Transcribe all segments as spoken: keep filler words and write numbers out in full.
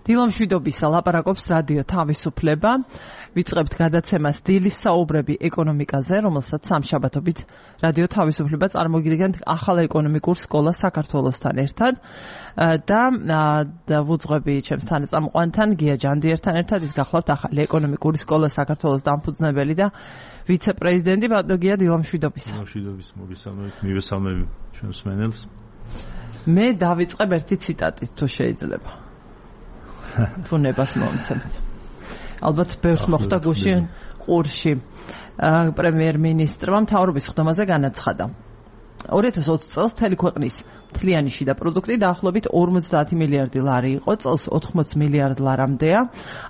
დილამშვიდობისა ლაპარაკობს რადიო თავისუფლება. ვიწყებთ გადაცემას დილის საუბრები ეკონომიკაზე, რომელსაც სამშაბათობით რადიო თავისუფლება წარმოგიდგენთ ახალ ეკონომიკურ სკოლას საქართველოსთან ერთად და ვუძღვები ჩემს თანაწამყვანთან გია ჯანდიერთან ერთად. ის გახლავთ ახალი ეკონომიკური სკოლა საქართველოს დამფუძნებელი და ვიცე-პრეზიდენტი. ბატონო გია, დილამშვიდობისა. დილამშვიდობის მოგესალმებით, მივესალმები ჩვენს მენელს. მე დავიწყებ ერთი ციტატით, თუ შეიძლება. თუ ნებას მომცემთ. ალბათ ბევრს მოხდა გუშინ ყურში. პრემიერ-მინისტრმა მთავრობის ხდომაზე განაცხადა. ორი ათას ოცი წელს მთელი ქვეყნის მთლიანი შიდა პროდუქტი დაახლოებით ორმოცდაათი მილიარდი ლარი იყო, წელს ოთხმოცი მილიარდ ლარამდეა,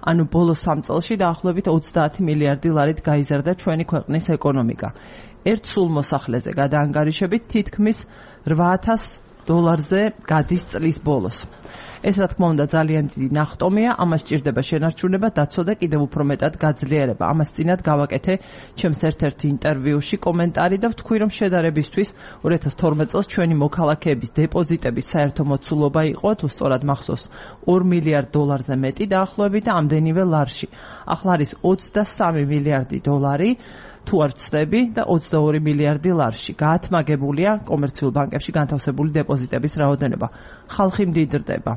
ანუ ბოლო სამ წელში დაახლოებით ოცდაათი მილიარდი ლარით გაიზარდა ჩვენი ქვეყნის ეკონომიკა. ერთ სულ მოსახლეზე გადაანგარიშებით თითქმის რვა ათას დოლარზე გადის წლის ბოლოს. ეს რა თქმა უნდა ძალიან დიდი ნახტომია, ამას სჭირდება შენარჩუნება, დაცვა და კიდევ უფრო მეტად გაძლიერება. ამას წინათ გავაკეთე ჩემს ერთ-ერთ ინტერვიუში კომენტარი და ვთქვი, რომ შედარებისთვის ორი ათას თორმეტ წელს ჩვენი მოქალაქეების დეპოზიტების საერთო მოცულობა იყო, თუ სწორად მახსოვს, ორ მილიარდ დოლარზე მეტი დაახლოებით და ამდენივე ლარში. ახლა არის ოცდასამი მილიარდი დოლარი. თუ არ ვცდები და ოცდაორი მილიარდი ლარში. გაათმაგებულია კომერციულ ბანკებში განთავსებული დეპოზიტების რაოდენობა. ხალხი მდიდრდება.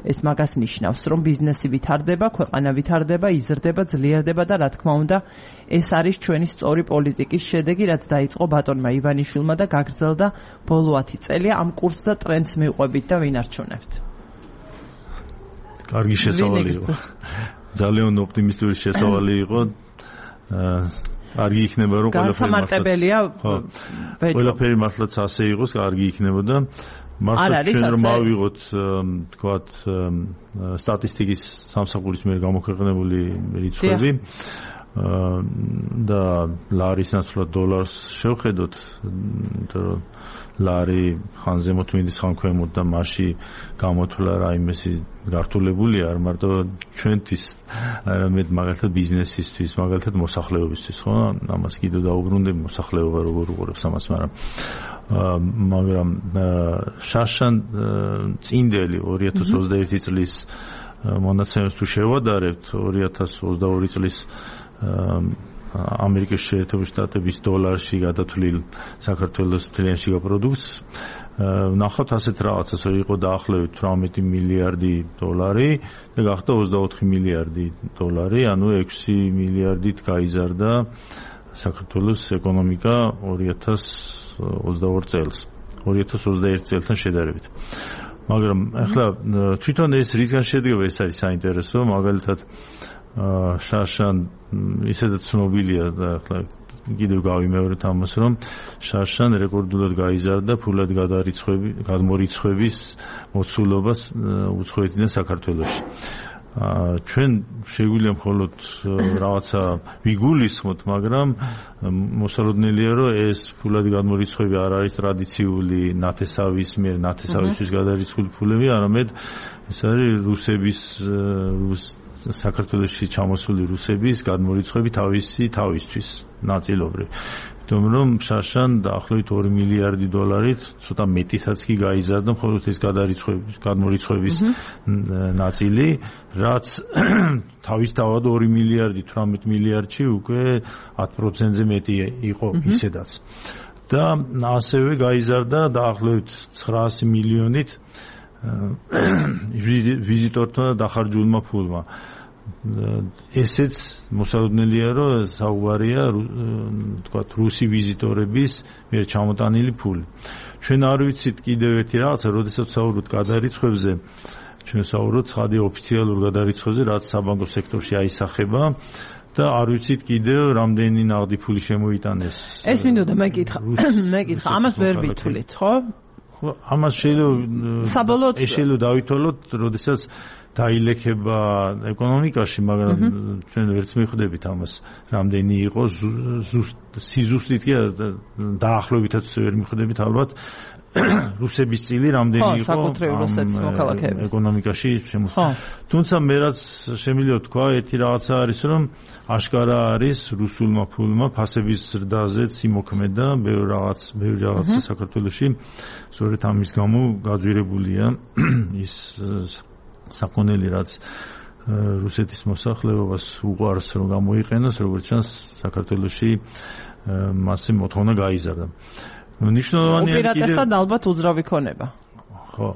ეს მაგას ნიშნავს, რომ ბიზნესი ვითარდება, ქვეყანა ვითარდება, იზრდება, ძლიერდება და რა თქმა უნდა, ეს არის ჩვენი სწორი პოლიტიკის შედეგი, რაც დაიწყო ბატონმა ივანიშვილმა და გაგრძელდა ბოლო ათი წელია. ამ კურსს და ტრენდს მივყვებით და ვინარჩუნებთ. კარგი შესავალი იყო. ძალიან ოპტიმისტური შესავალი იყო. კარგი იქნება რომ განსამარტებელია ყველაფერი მართლაც ასე იყოს, კარგი იქნებოდა. მართლა ჩვენ რომ ავიღოთ თქვათ სტატისტიკის სამსახურის მიერ გამოქვეყნებული რიცხვები და ლარის ნაცვლად დოლარს შევხედოთ, იმიტომ რომ ლარი ხან ზემოთ მინდის ხან ქვემოთ და მასში გამოთვლა რაიმესი გართულებულია არ მარტო ჩვენთვის, არამედ მაგალითად ბიზნესისთვის, მაგალითად მოსახლეობისთვის, ხო? ამას კიდევ დაუბრუნდები მოსახლეობა როგორ უყურებს ამას, მაგრამ მაგრამ შარშან წინდელი ორი ათას ოცდაერთი წლის მონაცემებს თუ შევადარებთ, ორი ათას ოცდაორი წლის ამერიკის შეერთებული შტატების დოლარში გადათვლილ საქართველოს მთლიან შიგა პროდუქტს ნახავთ ასეთ რაღაცას, რომ იყო დაახლოებით თვრამეტი მილიარდი დოლარი და გახდა ოცდაოთხი მილიარდი დოლარი, ანუ ექვსი მილიარდით გაიზარდა საქართველოს ეკონომიკა ორი ათას ოცდაორ წელს, ორი ათას ოცდაერთი წელთან შედარებით. მაგრამ ახლა თვითონ ეს რისგან შედგება, ეს არის საინტერესო, მაგალითად შარშან ისედაც ცნობილია და ახლა კიდევ გავიმეორეთ ამას, რომ შარშან რეკორდულად გაიზარდა ფულად გადმორიცხვების მოცულობას უცხოეთიდან საქართველოში. ჩვენ შეგვიძლია მხოლოდ რაღაცა ვიგულისხმოთ, მაგრამ მოსალოდნელია, რომ ეს ფულად გადმორიცხვები არ არის ტრადიციული ნათესავის მიერ ნათესავისთვის გადარიცხული ფულები, არამედ ეს არის რუსების რუს საქართველოში ჩამოსული რუსების გადმორიცხვები თავისი თავისთვის ნაწილობრივ. იმიტომ რომ შარშან დაახლოებით ორი მილიარდი დოლარით ცოტა მეტისაც კი გაიზარდა მხოლოდ ეს გადმორიცხვების ნაწილი, რაც თავისთავად ორი მილიარდი თვრამეტ მილიარდში უკვე ათი პროცენტზე მეტი იყო ისედაც. და ასევე გაიზარდა დაახლოებით ცხრაასი მილიონით ვიზიტორთა დახარჯულმა ფულმა. ესეც მოსალოდნელია, რომ საუბარია თქვათ რუსი ვიზიტორების მიერ ჩამოტანილი ფული. ჩვენ არ ვიცით კიდევ ერთი რაღაცა, როდესაც საუბრობთ გადარიცხვებზე, ჩვენ საუბრობთ ცხადი ოფიციალურ გადარიცხვებზე, რაც საბანკო სექტორში აისახება და არ ვიცით კიდევ რამდენი ნაღდი ფული შემოიტანეს. ეს მინდოდა მეკითხა, მეკითხა, ამას ვერ ვითვლით, ხო? ხო, ამას შეიძლება საბოლოოდ შეიძლება დავითვალოთ, როდესაც დაილექება ეკონომიკაში, მაგრამ ჩვენ ვერც მიხვდებით ამას რამდენი იყო, სიზუსტით კი დაახლოებითაც ვერ მიხვდებით ალბათ რუსების წილი რამდენი იყო ეკონომიკაში შემოსული. თუმცა მე რაც შემიძლია თქვა, ერთი რაღაცა არის, რომ აშკარა არის რუსულმა ფულმა ფასების ზრდაზეც იმოქმედა ბევრ რაღაც, ბევრი რაღაცა საქართველოში, სწორედ ამის გამო გაძვირებულია ის საკონელი რაც რუსეთის მოსახლეობას უყვარს რომ გამოიყენოს, როგორც ჩანს საქართველოში მასე მოთხოვნა გაიზარდა. ნიშნულოვანია კიდევ უპირატესად ალბათ უძრავი ქონება. ხო,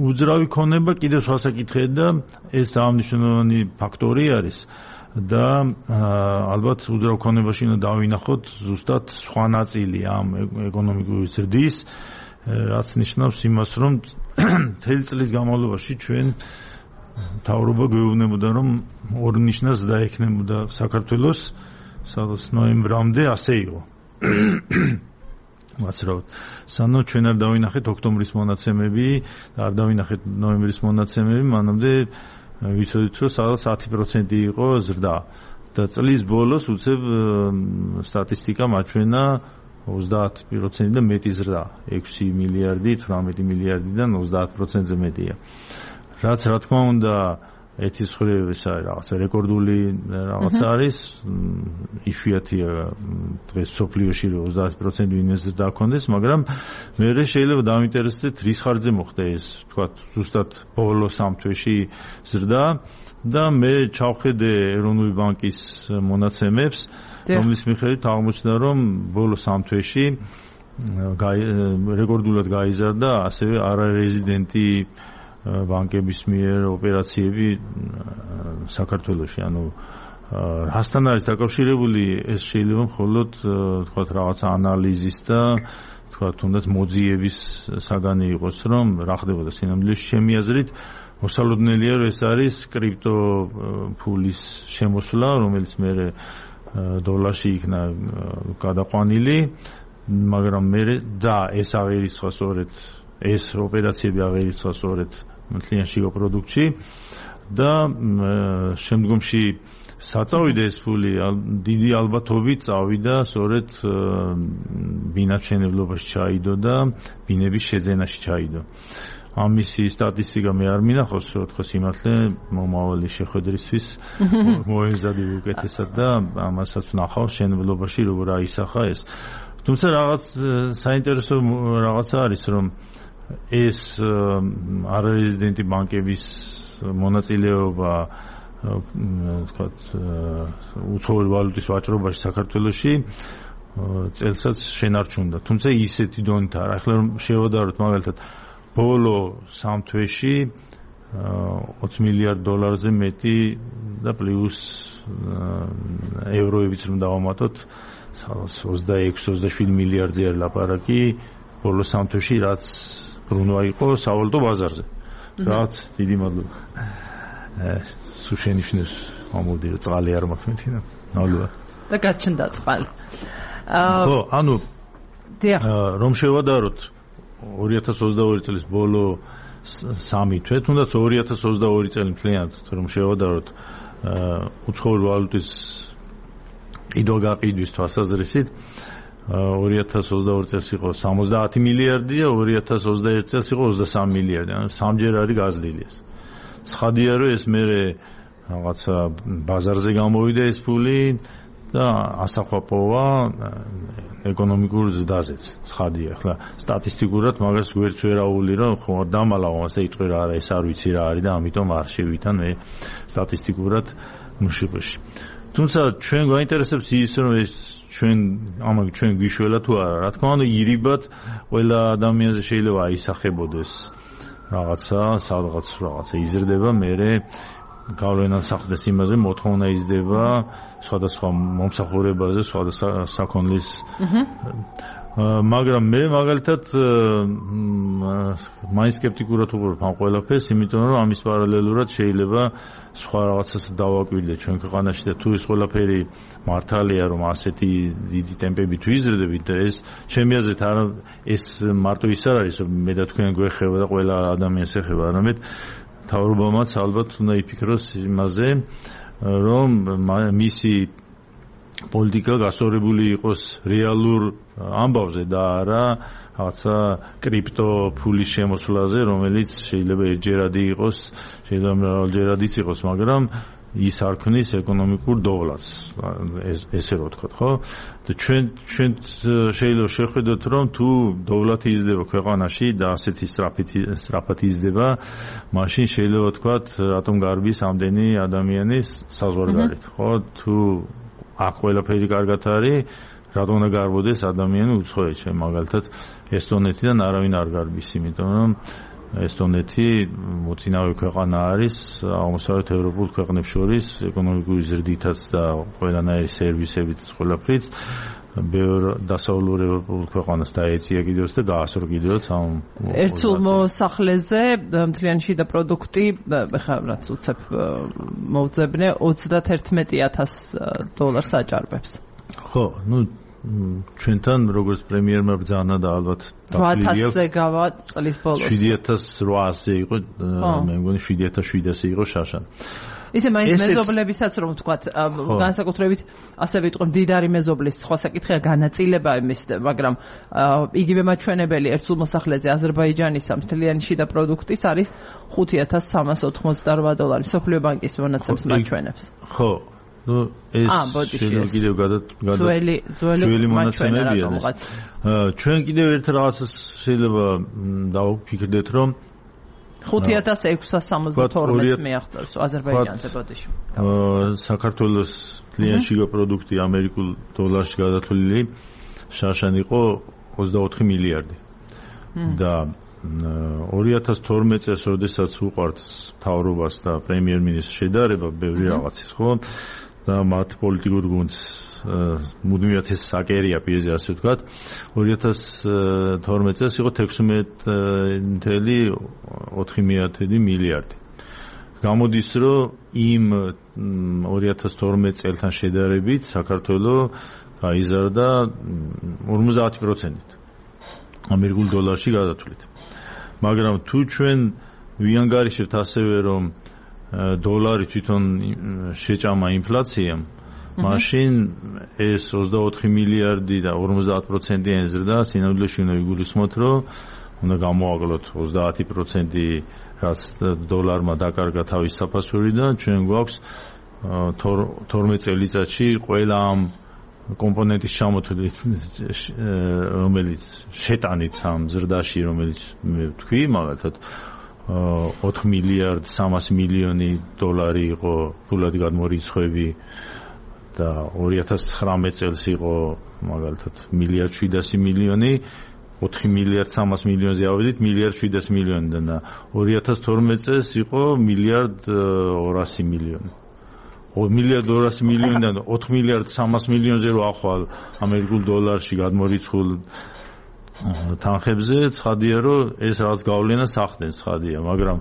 უძრავი ქონება კიდევ სხვა საკითხია და ეს აღნიშნულოვანი ფაქტორი არის და ალბათ უძრავ ქონებაში უნდა დავინახოთ ზუსტად სხვა ნაწილი ამ ეკონომიკური ზრდის, რაც ნიშნავს იმას, რომ მთელი წლის განმავლობაში ჩვენ მთავრობა გვეუბნებოდა, რომ ორ ნიშნას დაექნებოდა საქართველოს, სადაც ნოემბრამდე ასე იყო. ვაცრავთ. სანამ ჩვენ არ დავინახეთ ოქტომბრის მონაცემები და არ დავინახეთ ნოემბრის მონაცემები, მანამდე ვიცოდით, რომ სადაც ათი პროცენტი იყო ზრდა. და წლის ბოლოს უცებ სტატისტიკა მაჩვენა ოცდაათ პროცენტი და მეტი ზრდა. ექვსი მილიარდი, თვრამეტი მილიარდიდან ოცდაათ პროცენტზე მეტია. რაც რა თქმა უნდა ეთის ხრივ ეს არის რაღაცა რეკორდული რაღაც არის, იშვიათია დღეს სოფლიოში რომ ოცდაათ პროცენტი ვინმე ზრდა ჰქონდეს, მაგრამ მე შეიძლება დავინტერესდეთ რის ხარჯზე მოხდა ეს, თქვა ზუსტად ბოლო სამ თვეში ზრდა და მე ჩავხედე ეროვნული ბანკის მონაცემებს, რომლის მიხედვით აღმოჩნდა, რომ ბოლო სამ თვეში რეკორდულად გაიზარდა ასევე არარეზიდენტი ბანკების მიერ ოპერაციები საქართველოში, ანუ რასთან არის დაკავშირებული ეს შეიძლება მხოლოდ თქვათ რაღაცა ანალიზის და თქვათ თუნდაც მოძიების საგანი იყოს, რომ რა ხდებოდა სინამდვილეში ჩემი აზრით მოსალოდნელია, რომ ეს არის კრიპტო ფულის შემოსვლა, რომელიც მე დოლარში იქნა გადაყვანილი, მაგრამ მე და ეს აღერიცხა სწორედ ეს ოპერაციები აღერიცხა სწორედ მთლიანშიგო პროდუქტში და შემდგომში საწავიდა ეს ფული დიდი ალბათობით წავიდა სწორედ ბინაჩვენებლობაში ჩაიდო და ბინების შეძენაში ჩაიდო. ამისი სტატისტიკა მე არ მინახავს, რომ თქო სიმართლე მომავალი შეხვედრისთვის მოეზადი უკეთესად და ამასაც ვნახავ შენებლობაში როგორ აისახა ეს. თუმცა რაღაც საინტერესო რაღაცა არის, რომ ეს არარეზიდენტი ბანკების მონაწილეობა თქვათ უცხოური ვალუტის ვაჭრობაში საქართველოში წელსაც შენარჩუნდა. თუმცა ისეთი დონით არა. ახლა რომ შევადაროთ მაგალითად ბოლო სამ თვეში ოცი მილიარდ დოლარზე მეტი და პლუს ევროებიც რომ დავამატოთ ოცდაექვსი ოცდაშვიდი მილიარდზე არის ლაპარაკი ბოლო სამ თვეში, რაც ბრუნვა იყო სავალუტო ბაზარზე. რაც დიდი მადლობა. სულ შენიშნეს ამოდი რომ წყალი არ მაქვს მეტი და მადლობა. და გაჩნდა წყალი. ხო, ანუ რომ შევადაროთ ორი ათას ოცდაორი წლის ბოლო სამი თვე, თუნდაც ორი ათას ოცდაორი წელი მთლიანად რომ შევადაროთ უცხოური ვალუტის ყიდვა-გაყიდვის თვალსაზრისით, ორი ათას ოცდაორი წელს იყო სამოცდაათი მილიარდი და ორი ათას ოცდაერთი წელს იყო ოცდასამი მილიარდი, ანუ სამჯერ არის გაზრდილი ეს. ცხადია რომ ეს მერე რაღაცა ბაზარზე გამოვიდა ეს ფული და ასახვა პოვა ეკონომიკურ ზრდაზეც. ცხადია, ახლა სტატისტიკურად მაგას გვერდს ვერაული რომ ხო დამალავ ასე იტყვი რა არა, ეს არ ვიცი რა არის და ამიტომ არ შევითან მე სტატისტიკურად მშპ-ში. თუმცა ჩვენ გვაინტერესებს ის რომ ეს ჩვენ ამაგი ჩვენ გვიშველა თუ არა, რა თქმა უნდა ირიბად ყველა ადამიანზე შეიძლება აისახებოდეს რაღაცა, სადღაც რაღაცა იზრდება, მერე გავლენას ახდენს იმაზე, მოთხოვნა იზრდება სხვადასხვა მომსახურებაზე, სხვადასხვა საქონლის. მაგრამ მე მაგალითად მაინც სკეპტიკურად ვუყურებ ამ ყველაფერს, იმიტომ რომ ამის პარალელურად შეიძლება სხვა რაღაცას დავაკვირდე ჩვენ ქვეყანაში და თუ ეს ყველაფერი მართალია, რომ ასეთი დიდი ტემპებით ვიზრდებით და ეს ჩემი აზრით არ ეს მარტო ის არ არის, რომ მე და თქვენ გვეხება და ყველა ადამიანს ეხება, არამედ მთავრობამაც ალბათ უნდა იფიქროს იმაზე, რომ მისი პოლიტიკა გასწორებული იყოს რეალურ ამბავზე და არა რაღაცა კრიპტო ფულის შემოსვლაზე, რომელიც შეიძლება ერთჯერადი იყოს, შეიძლება მრავალჯერადიც იყოს, მაგრამ ის არ ქმნის ეკონომიკურ დოვლას, ესე რო ვთქვათ, ხო? და ჩვენ ჩვენ შეიძლება შეხვედროთ, რომ თუ დოვლათი იზრდება ქვეყანაში და ასეთი სწრაფად იზრდება, მაშინ შეიძლება ვთქვათ, რატომ გარბის ამდენი ადამიანის საზღვარგარეთ, ხო? თუ აქ ყველაფერი კარგად არის, რატომ უნდა გარბოდეს ადამიანი უცხოეთში, მაგალითად ესტონეთიდან არავინ არ გარბის, იმიტომ რომ ესტონეთი მოწინავე ქვეყანა არის აღმოსავლეთ ევროპულ ქვეყნებს შორის ეკონომიკური ზრდითაც და ყველანაირი სერვისებით ყველაფრით ბევრ დასავლურ ევროპულ ქვეყანას დაეწია კიდევაც და გაასწრო კიდევაც ამ ერთსულ მოსახლეზე მთლიანი შიდა პროდუქტი ხა რაც უცებ მოუძებნე ოცდაათი ათას დოლარს აჭარბებს. ხო, ну ჩვენთან როგორც პრემიერმა ბრძანა და ალბათ ოთხ ათასზე გავა წლის ბოლოს შვიდი ათას რვაასზე იყო მე მგონი შვიდი ათას შვიდასზე იყო შაშან ისე მაინც მეზობლებისაც რომ ვთქვათ განსაკუთრებით ასე ვიტყვი მდიდარი მეზობლის სხვა საკითხია განაწილება იმის მაგრამ იგივე მაჩვენებელი ერთსულ მოსახლეზე აზერბაიჯანისა მთლიანი შიდა პროდუქტის არის ხუთი ათას სამას ოცდაოთხმოცდარვა დოლარი მსოფლიო ბანკის მონაცემს მაჩვენებს ხო ну ეს შეიძლება კიდევ გადა ძველი ძველი მონაცემებია ჩვენ კიდევ ერთ რაღაცას შეიძლება დავფიქრდეთ რომ ხუთი ათას ექვსას სამოცდათორმეტს მიაღწევს აზერბაიჯანზე ბოდიში საქართველოს მთლიანი შიგა პროდუქტი ამერიკულ დოლარში გადათვლილი შაშან იყო ოცდაოთხი მილიარდი და ორი ათას თორმეტ წელს როდესაც უყვართ მთავრობას და პრემიერ-მინისტრს შედარება ბევრი რაღაცის ხო და მათ პოლიტიკურ გუნდს მუდმივად ეს საკერია პირზე ასე ვთქვათ ორი ათას თორმეტ წელს იყო თექვსმეტი ოთხი მილიარდი გამოდის რომ იმ ორი ათას თორმეტ წელთან შედარებით საქართველოს გაიზარდა ორმოცდაათი პროცენტით ამერიკულ დოლარში გადათვლით მაგრამ თუ ჩვენ ვიანგარიშებთ ასევე რომ დოლარი თვითონ შეჭამა ინფლაციამ მაშინ ეს ოცდაოთხი მილიარდი და ორმოცდაათი პროცენტიანი ზრდა სინამდვილეში უნდა იგულისხმოთ რომ უნდა გამოაკლოთ ოცდაათი პროცენტი რაც დოლარმა დაკარგა თავის საფასურიდან ჩვენ გვაქვს თორმეტ წელიწადში ყველა ამ კომპონენტის ჩამოთვლით რომელიც შეტანით ამ ზრდაში რომელიც მე ვთქვი მაგალითად ოთხ მილიარდ სამას მილიონი დოლარი იყო ფულად გადმორიცხვები და ორი ათას ცხრამეტ წელს იყო მაგალითად მილიარდ შვიდასი მილიონი ოთხ მილიარდ სამას მილიონზე ავედით მილიარდ შვიდასი მილიონიდან და ორი ათას თორმეტ წელს იყო მილიარდ ორასი მილიონი მილიარდ ორასი მილიონიდან ოთხ მილიარდ სამას მილიონზე რო ახვალ ამერიკულ დოლარში გადმორიცხულ თანხებზე ცხადია რომ ეს რაღაც გავლენას ახდენს ცხადია მაგრამ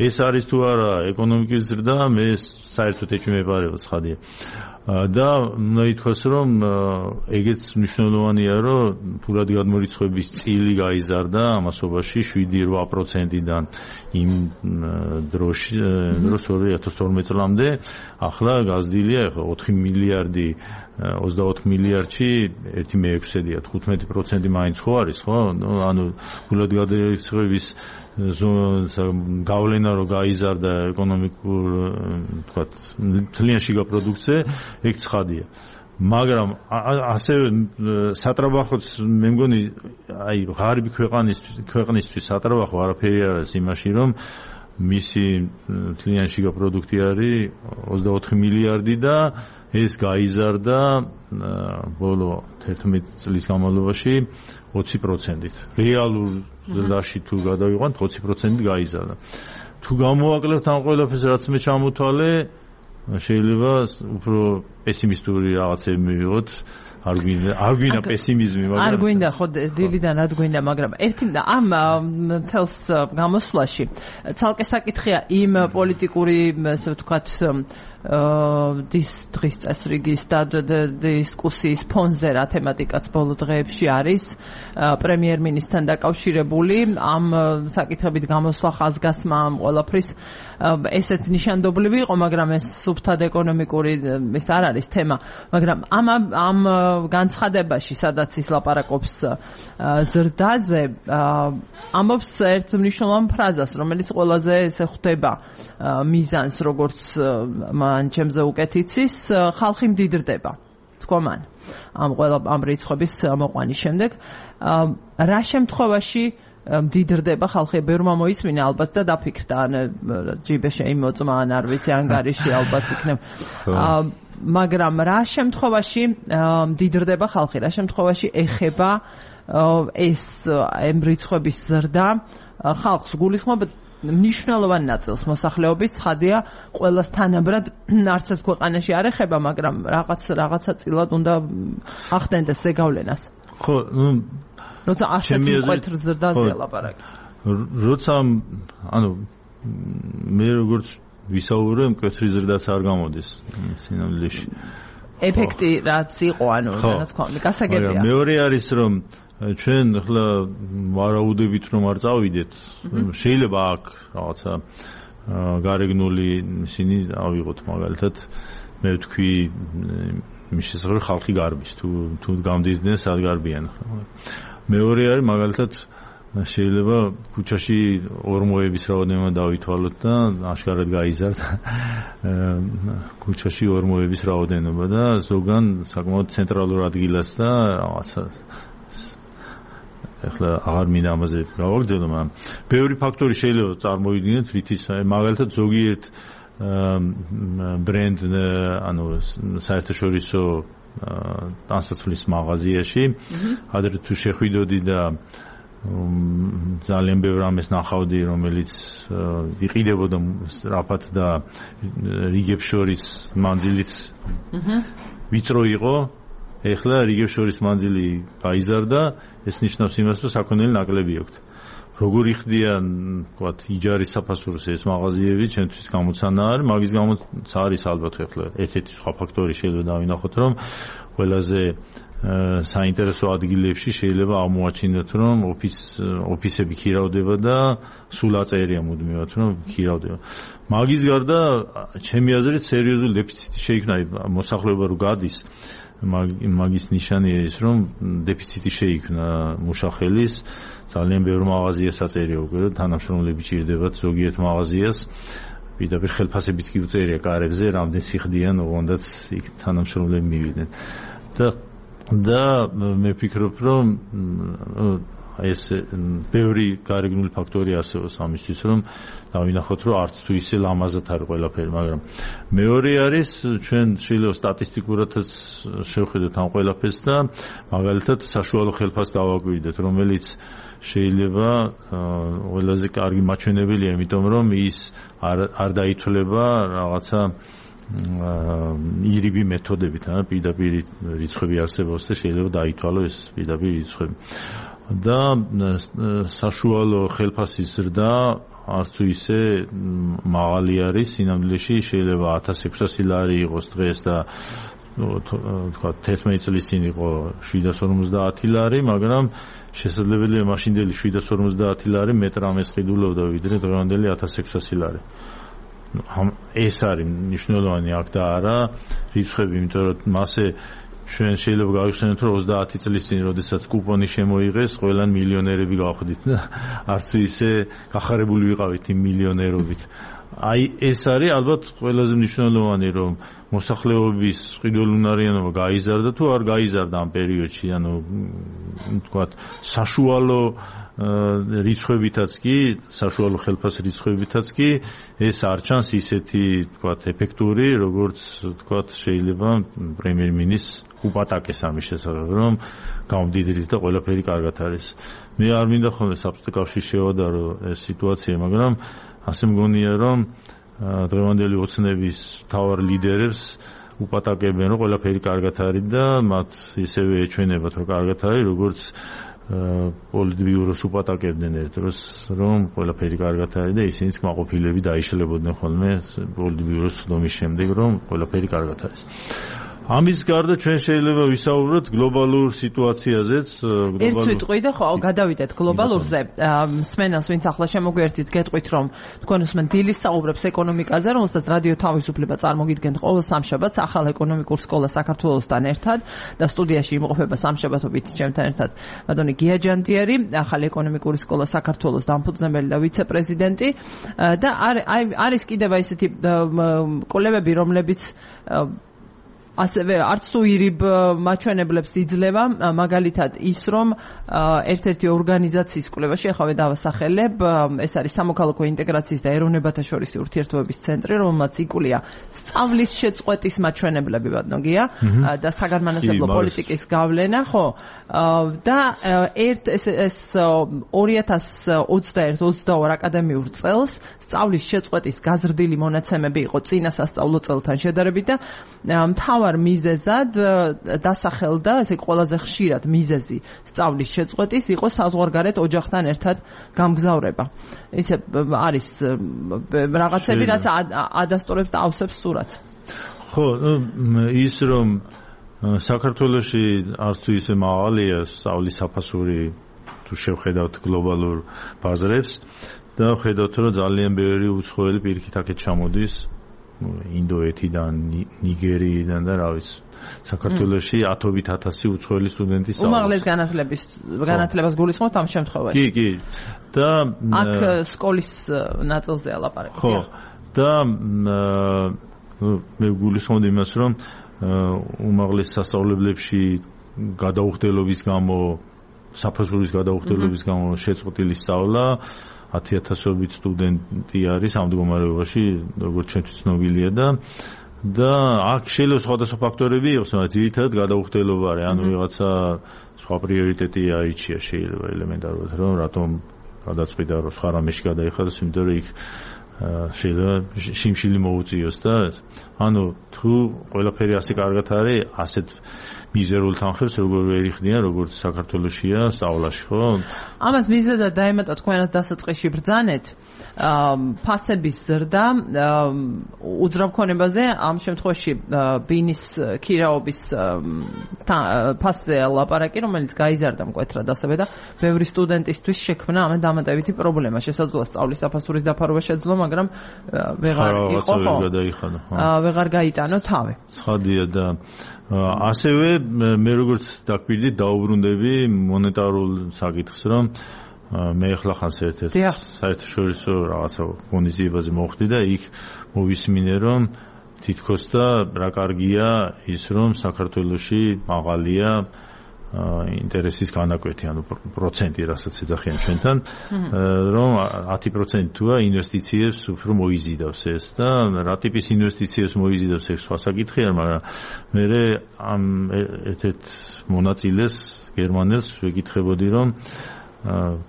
ეს არის თუ არა ეკონომიკის ზრდა მე საერთოდ ეჭვი მეპარება ცხადია და უნდა ითქვას რომ ეგეც მნიშვნელოვანია რომ ფულად გადმორიცხვების წილი გაიზარდა ამასობაში შვიდი რვა პროცენტიდან იმ დროში დროს ორი ათას თორმეტ წლამდე ახლა გაზრდილია ახლა ოთხი მილიარდი ოცდაოთხ მილიარდში ერთი მეექვსედია თხუთმეტი პროცენტი მაინც ხო არის ხო ანუ ფულად გადმორიცხვების გავლენა რო გაიზარდა ეკონომიკურ თქვათ მთლიან შიგა პროდუქტზე ეგ ცხადია მაგრამ ასევე სატრაბახოც მე მგონი აი ღარიბი ქვეყანისთვის ქვეყნისთვის სატრაბახო არაფერი არ არის იმაში რომ მისი მთლიან შიგა პროდუქტი არის ოცდაოთხი მილიარდი და ეს გაიზარდა ბოლო თერთმეტ წლის განმავლობაში ოცი პროცენტით რეალურ ზრდაში თუ გადავიყვანთ ოცი პროცენტით გაიზარდა თუ გამოვაკლებთ ამ ყველაფერს რაც მე ჩამოთვალე შეიძლება უფრო პესიმისტური რაღაცები მივიღოთ არ გვინდა არ გვინდა პესიმიზმი მაგრამ არ გვინდა ხო დილიდან არ გვინდა მაგრამ ერთი ამ თელს გამოსვლაში ცალკე საკითხია იმ პოლიტიკური ასე ვთქვათ დის დღის წესრიგის და დისკუსიის ფონზე რა თემატიკაც ბოლო დღეებში არის პრემიერ-მინისტრთან დაკავშირებული ამ საკითხებით გამოსვლა ხაზგასმა ამ ყველაფრის ესეც ნიშანდობლივი იყო მაგრამ ეს სუფთად ეკონომიკური ეს არ არის თემა მაგრამ ამ ამ განცხადებაში სადაც ის ლაპარაკობს ზრდაზე ამბობს ერთ მნიშვნელოვან ფრაზას რომელიც ყველაზე ესე ხვდება მიზანს როგორც ან ჩემზე უკეთ იცის, ხალხი მდიდრდება. თქვა მან. ამ ყველა ამ რიცხვების მოყვანის შემდეგ, რა შემთხვევაში მდიდრდება ხალხი, ბევრმა მოისმინა ალბათ და დაფიქრდა, ან ჯიბე შეიმოწმა, ან არ ვიცი, ან გარეშე ალბათ იქნებ. მაგრამ რა შემთხვევაში მდიდრდება ხალხი, რა შემთხვევაში ეხება ეს ამ რიცხვების ზრდა ხალხს გულისხმობ მნიშვნელოვან ნაწილს მოსახლეობის, ცხადია, ყველას თანაბრად არც ერთ ქვეყანაში არ ეხება, მაგრამ რაღაც რაღაცა წილად უნდა ახდენდეს ზეგავლენას. ხო, ნუ როცა ასეთი მკვეთრ ზრდაზე ლაპარაკი. როცა ანუ მე როგორც ვისაუბრე, მკვეთრი ზრდაც არ გამოდის სინამდვილეში. ეფექტი რაც იყო, ანუ რაც ქონდა, გასაგებია. მეორე არის რომ ჩვენ ახლა ვარაუდებით რომ არ წავიდეთ, შეიძლება აქ რაღაცა გარეგნული ისინი ავიღოთ მაგალითად, მე ვთქვი მის შესახებ ხალხი გარბის, თუ თუ გამდიდნენ სად გარბიან. მეორე არის მაგალითად შეიძლება ქუჩაში ორმოების რაოდენობა დავითვალოთ და აშკარად გაიზარდა ქუჩაში ორმოების რაოდენობა და ზოგან საკმაოდ ცენტრალურ ადგილას და რაღაცა ახლა აღარ მინდა ამაზე გავაგრძელო, მაგრამ ბევრი ფაქტორი შეიძლება წარმოვიდგინოთ, რითიც მაგალითად ზოგიერთ ბრენდ ანუ საერთაშორისო ტანსაცმლის მაღაზიაში ადრე თუ შეხვიდოდი და ძალიან ბევრ ამას ნახავდი, რომელიც იყიდებოდა რაფათ და რიგებს შორის მანძილიც ვიწრო იყო. ეხლა რიგებს შორის მანძილი გაიზარდა, ეს ნიშნავს იმას, რომ საქონელი ნაკლები აქვს. როგორ იხდიან, ვთქვათ, იჯარის საფასურს ეს მაღაზიები, ჩემთვის გამოცანა არის, მაგის გამოც არის ალბათ ეხლა ერთ-ერთი სხვა ფაქტორი შეიძლება დავინახოთ, რომ ყველაზე საინტერესო ადგილებში შეიძლება აღმოაჩინოთ, რომ ოფის ოფისები ქირავდება და სულ აწერია მუდმივად, რომ ქირავდება. მაგის გარდა, ჩემი აზრით, სერიოზული დეფიციტი შეიქმნა, მოსახლეობა რო გადის მაგის ნიშანია ის, რომ დეფიციტი შეიქმნა მუშახელის, ძალიან ბევრ მაღაზიას აწერია უკვე, თანამშრომლები ჭირდებათ ზოგიერთ მაღაზიას, პირდაპირ ხელფასებით კი უწერია კარებზე, რამდენ სიხდიან, ოღონდაც იქ თანამშრომლები მივიდნენ. და და მე ვფიქრობ, რომ ეს ბევრი გარეგნული ფაქტორი არსებობს ამისთვის, რომ დავინახოთ, რომ არც თუ ისე ლამაზად არის ყველაფერი, მაგრამ მეორე არის ჩვენ შეიძლება სტატისტიკურადაც შევხედოთ ამ ყველაფერს და მაგალითად საშუალო ხელფასს დავაკვირდეთ, რომელიც შეიძლება ყველაზე კარგი მაჩვენებელია, იმიტომ რომ ის არ არ დაითვლება რაღაცა ირიბი მეთოდებით, ან პირდაპირ რიცხვები არსებობს და შეიძლება დაითვალო ეს პირდაპირ რიცხვები. და საშუალო ხელფასის ზრდა არც თუ ისე მაღალი არის, სინამდვილეში შეიძლება ათას ექვსასი ლარი იყოს დღეს და თქვა თერთმეტი წლის წინ იყო შვიდას ორმოცდაათი ლარი, მაგრამ შესაძლებელია მაშინდელი შვიდას ორმოცდაათი ლარი მეტ რამეს ყიდულობდა ვიდრე დღევანდელი ათას ექვსასი ლარი. ეს არის მნიშვნელოვანი აქ და არა რიცხვები, იმიტომ რომ მასე ჩვენ შეიძლება გავიხსენოთ, რომ ოცდაათი წლის წინ, როდესაც კუპონი შემოიღეს, ყველან მილიონერები გავხდით და არც ისე გახარებული ვიყავით იმ მილიონერობით. აი ეს არის ალბათ ყველაზე მნიშვნელოვანი, რომ მოსახლეობის ყიდულუნარიანობა გაიზარდა თუ არ გაიზარდა ამ პერიოდში, ანუ თქვათ საშუალო რიცხვებითაც კი, საშუალო ხელფას რიცხვებითაც კი ეს არ ჩანს ისეთი თქვათ ეფექტური, როგორც თქვათ შეიძლება პრემიერ-მინისტრს უპატაკეს ამის შესახებ, რომ გამდიდრით და ყველაფერი კარგად არის. მე არ მინდა ხოლმე საბჭოთა კავშირში შევადარო ეს სიტუაცია, მაგრამ ასე მგონია, რომ დღევანდელი ოცნების მთავარ ლიდერებს უპატაკებენ, რომ ყველაფერი კარგად არის და მათ ისევე ეჩვენებათ, რომ კარგად არის, როგორც პოლიტბიუროს უპატაკებდნენ ერთ დროს, რომ ყველაფერი კარგად არის და ისინიც კმაყოფილები დაიშლებოდნენ ხოლმე პოლიტბიუროს ცდომის შემდეგ, რომ ყველაფერი კარგად არის. ამის გარდა ჩვენ შეიძლება ვისაუბროთ გლობალურ სიტუაციაზეც, გლობალურ. ერთ სიტყვი და ხო, გადავიდეთ გლობალურზე. მსმენელს ვინც ახლა შემოგვიერთით, გეტყვით რომ თქვენ უსმენთ დილის საუბრებს ეკონომიკაზე, რომელსაც რადიო თავისუფლება წარმოგიდგენთ ყოველ სამშაბათს ახალ ეკონომიკურ სკოლას საქართველოსთან ერთად და სტუდიაში იმყოფება სამშაბათობით ჩემთან ერთად ბატონი გია ჯანდიერი, ახალი ეკონომიკური სკოლა საქართველოს დამფუძნებელი და ვიცე-პრეზიდენტი და არის კიდევ ისეთი კოლეგები, რომლებიც ასევე არც თუ ირიბ მაჩვენებლებს იძლევა, მაგალითად ის რომ ერთ-ერთი ორგანიზაციის კვლევაში ახავე დავასახელებ, ეს არის სამოქალაქო ინტეგრაციის და ეროვნებათა შორისი ურთიერთობების ცენტრი, რომელმაც იკვლია სწავლის შეწყვეტის მაჩვენებლები ბატონგია და საგანმანათლებლო პოლიტიკის გავლენა, ხო? და ერთ ეს ეს ორი ათას ოცდაერთი ოცდაორი აკადემიურ წელს სწავლის შეწყვეტის გაზრდილი მონაცემები იყო წინა სასწავლო წელთან შედარებით და მთავარ მიზეზად დასახელდა, ესე ყველაზე ხშირად მიზეზი სწავლის შეწყვეტის იყო საზღვარგარეთ ოჯახთან ერთად გამგზავრება. ისე არის რაღაცები, რაც ადასტურებს და ავსებს სურათს. ხო, ის რომ საქართველოში არც თუ ისე მაღალია სწავლის საფასური თუ შევხედავთ გლობალურ ბაზრებს და ხედავთ რომ ძალიან ბევრი უცხოელი პირიქით აქეთ ჩამოდის ინდოეთიდან, ნიგერიიდან და რა ვიცი. საქართველოში ათობით ათასი უცხოელი სტუდენტი სწავლობს. უმაღლეს განათლების განათლებას გულისხმობთ ამ შემთხვევაში. კი, კი. და აქ სკოლის ნაწილზეა ლაპარაკი. ხო. და მე გულისხმობ იმას, რომ უმაღლეს სასწავლებლებში გადაუხდელობის გამო, საფასურის გადაუხდელობის გამო შეწყვეტილი სწავლა ათი ათასობით სტუდენტი არის ამ მდგომარეობაში, როგორც ჩვენთვის ცნობილია და და აქ შეიძლება სხვადასხვა ფაქტორები იყოს, მაგრამ ძირითადად გადაუხდელობა არის, ანუ ვიღაცა სხვა პრიორიტეტი აიჩია შეიძლება ელემენტარულად, რომ რატომ გადაწყვიტა რომ სხვა რამეში გადაიხადოს, იმიტომ რომ იქ შეიძლება შიმშილი მოუწიოს და ანუ თუ ყველაფერი ასე კარგად არის, ასეთ მიზერულ თანხებს როგორ ვერ იხდიან, როგორც საქართველოშია სწავლაში, ხო? ამას მიზეზად დაემატა თქვენად დასაწყისში ბრძანეთ, ფასების ზრდა უძრავქონებაზე, ამ შემთხვევაში ბინის ქირაობის ფასზე ლაპარაკი, რომელიც გაიზარდა მკვეთრად ასევე და ბევრი სტუდენტისთვის შექმნა ამ დამატებითი პრობლემა. შესაძლოა სწავლის საფასურის დაფარვა შეძლო, მაგრამ ვეღარ იყო, ხო? ვეღარ გაიტანო თავი. ცხადია და ასევე მე როგორც დაგვიდი დაუბრუნდები მონეტარულ საკითხს, რომ მე ახლა ხან ერთ-ერთ საერთაშორისო რაღაცა ღონისძიებაზე მოხვდი და იქ მოვისმინე, რომ თითქოს და რა კარგია ის, რომ საქართველოში მაღალია ინტერესის განაკვეთი, ანუ პროცენტი, რასაც ეძახიან ჩვენთან, რომ ათი პროცენტი თუა ინვესტიციებს უფრო მოიზიდავს ეს და რა ტიპის ინვესტიციებს მოიზიდავს ეს სხვა საკითხია, მაგრამ მე ამ ერთ-ერთ მონაწილეს გერმანელს ვეკითხებოდი, რომ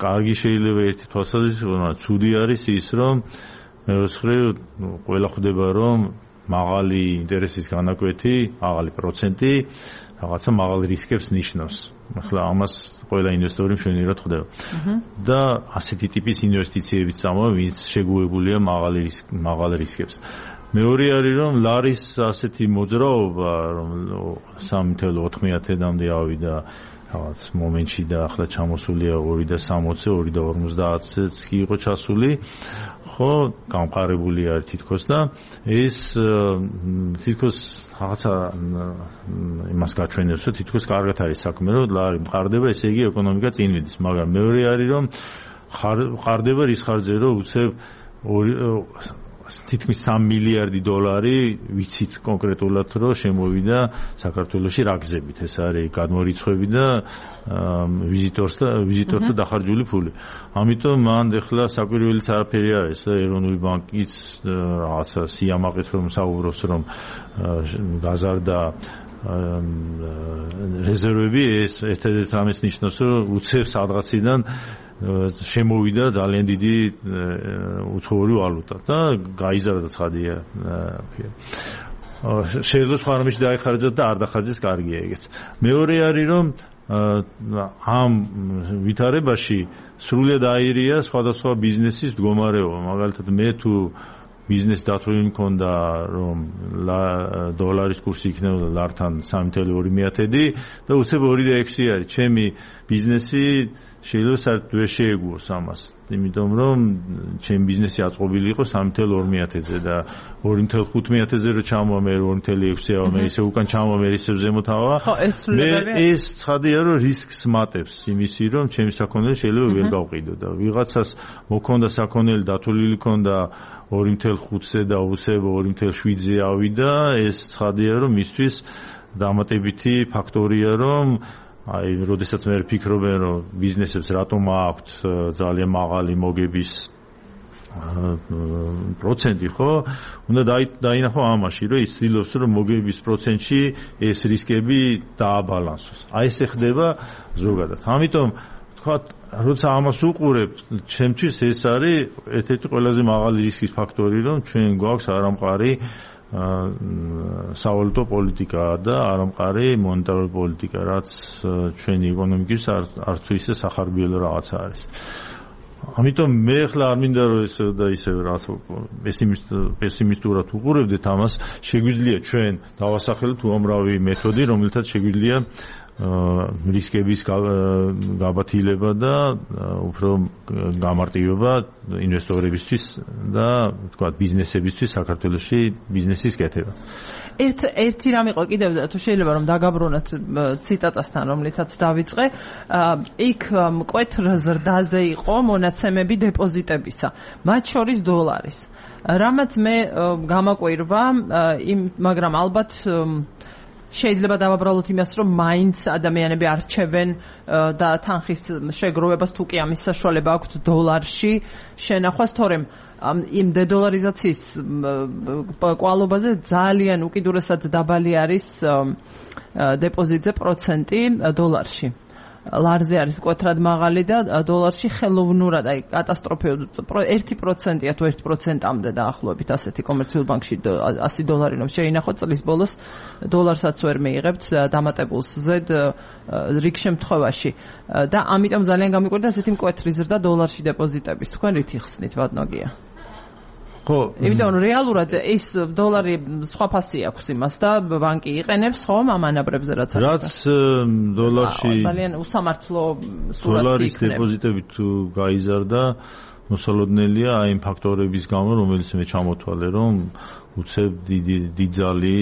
კარგი შეიძლება ერთი თვალსაზრისით, მაგრამ ცუდი არის ის, რომ მეოთხე ყველა ხვდება, რომ მაღალი ინტერესის განაკვეთი, მაღალი პროცენტი რაღაცა მაღალ რისკებს ნიშნავს. ახლა ამას ყველა ინვესტორი მშვენივრად ხვდება. და ასეთი ტიპის ინვესტიციებიც წამოვა, ვინც შეგუებულია მაღალ რისკ მაღალ რისკებს. მეორე არის, რომ ლარის ასეთი მოძრაობა, რომ სამი ათეული ოთხმეათედამდე ავიდა რაღაც მომენტში და ახლა ჩამოსულია ორი და სამოცი, ორი და ორმოცდაათიც კი იყო ჩასული. ხო, გამყარებული არის თითქოს და ეს თითქოს რაღაცა იმას გაჩვენებს, რომ თითქოს კარგად არის საქმე, რომ ლარი მყარდება, ესე იგი ეკონომიკა წინ მიდის, მაგრამ მეორე არის, რომ მყარდება რის ხარჯზე, რომ უცებ თითქმის სამი მილიარდი დოლარი ვიცით კონკრეტულად, რომ შემოვიდა საქართველოში რა გზებით. ეს არის გადმორიცხვები და ვიზიტორს და ვიზიტორთა დახარჯული ფული. ამიტომ მან ეხლა საკვირველიც არაფერი არის და ეროვნული ბანკიც რაღაცა სიამაყით რომ საუბრობს, რომ გაზარდა რეზერვები, ეს ერთ-ერთ რამეს ნიშნავს, რომ უცებ სადღაციდან შემოვიდა ძალიან დიდი უცხოური ვალუტა და გაიზარდა ცხადია. შეიძლება სხვა რამეში დაიხარჯოთ და არ დახარჯეს, კარგია ეგეც. მეორე არის, რომ ამ ვითარებაში სრულიად აირია სხვადასხვა ბიზნესის მდგომარეობა. მაგალითად მე თუ ბიზნეს დათვლილი მქონდა რომ დოლარის კურსი იქნებოდა ლართან სამი ნული ორი მეათედი და უცებ ორი და ექვსი არის ჩემი ბიზნესი შეიძლება საერთოდ ვერ შეეგუოს ამას იმიტომ რომ ჩემი ბიზნესი აწყობილი იყო სამი ნული ორი მეათედზე და ორი ნული ხუთ მეათედზე რო ჩამოვა მე ორი ნული ექვსი ავა მე ისე უკან ჩამოვა მე ისე ზემოთ ავა მე ეს ცხადია რომ რისკს მატებს იმისი რომ ჩემი საქონელი შეიძლება ვერ გავყიდო და ვიღაცას მოქონდა საქონელი დათვლილი ქონდა ორი ნული ხუთზე და უსებ ორი ნული შვიდზე ავიდა ეს ცხადია რომ მისთვის დამატებითი ფაქტორია რომ აი როდესაც მე ვფიქრობენ რომ ბიზნესებს რატომ აქვთ ძალიან მაღალი მოგების პროცენტი ხო უნდა დაინახო ამაში რომ ის ცდილობს რომ მოგების პროცენტში ეს რისკები დააბალანსოს აი ესე ხდება ზოგადად ამიტომ თქვა როცა ამას უყურებ ჩემთვის ეს არის ერთ-ერთი ყველაზე მაღალი რისკის ფაქტორი რომ ჩვენ გვაქვს არამყარი სავალუტო პოლიტიკა და არამყარი მონეტარული პოლიტიკა რაც ჩვენი ეკონომიკის არც თუ ისე სახარბიელო რაღაცა არის. ამიტომ მე ახლა არ მინდა რომ ეს და ისე რაც პესიმისტურად უყურებდეთ ამას შეგვიძლია ჩვენ დავასახელოთ უამრავი მეთოდი რომელთაც შეგვიძლია რისკების გაბათილება და უფრო გამარტივება ინვესტორებისთვის და თქვა ბიზნესებისთვის საქართველოში ბიზნესის კეთება. ერთ ერთი რამ იყო კიდევ თუ შეიძლება რომ დაგაბრუნოთ ციტატასთან რომლითაც დავიწყე იქ მკვეთრ ზრდაზე იყო მონაცემები დეპოზიტებისა მათ შორის დოლარის რამაც მე გამაკვირვა იმ მაგრამ ალბათ შეიძლება დავაბრალოთ იმას, რომ მაინც ადამიანები არჩევენ და თანხის შეგროვებას თუ კი ამის საშუალება აქვთ დოლარში შენახვას, თორემ იმ დედოლარიზაციის კვალობაზე ძალიან უკიდურესად დაბალი არის დეპოზიტზე პროცენტი დოლარში. ლარზე არის მკვეთრად მაღალი და დოლარში ხელოვნურად აი კატასტროფული ერთი პროცენტია თუ ერთი პროცენტამდე დაახლოებით ასეთი კომერციულ ბანკში ასი დოლარი რომ შეინახოთ წლის ბოლოს დოლარსაც ვერ მიიღებთ დამატებულს ზედ რიგ შემთხვევაში და ამიტომ ძალიან გამიკვირდა ასეთი მკვეთრი ზრდა დოლარში დეპოზიტების თქვენ რით იხსნით ბატონოგია ხო იმიტომ რომ რეალურად ეს დოლარი სხვა ფასი აქვს იმას და ბანკი იყენებს ხომ ამ ანაბრებზე რაც არის რაც დოლარში ძალიან უსამართლო სურათი დოლარის დეპოზიტები თუ გაიზარდა მოსალოდნელია აი იმ ფაქტორების გამო რომელიც მე ჩამოთვალე რომ უცებ დიდი დიდძალი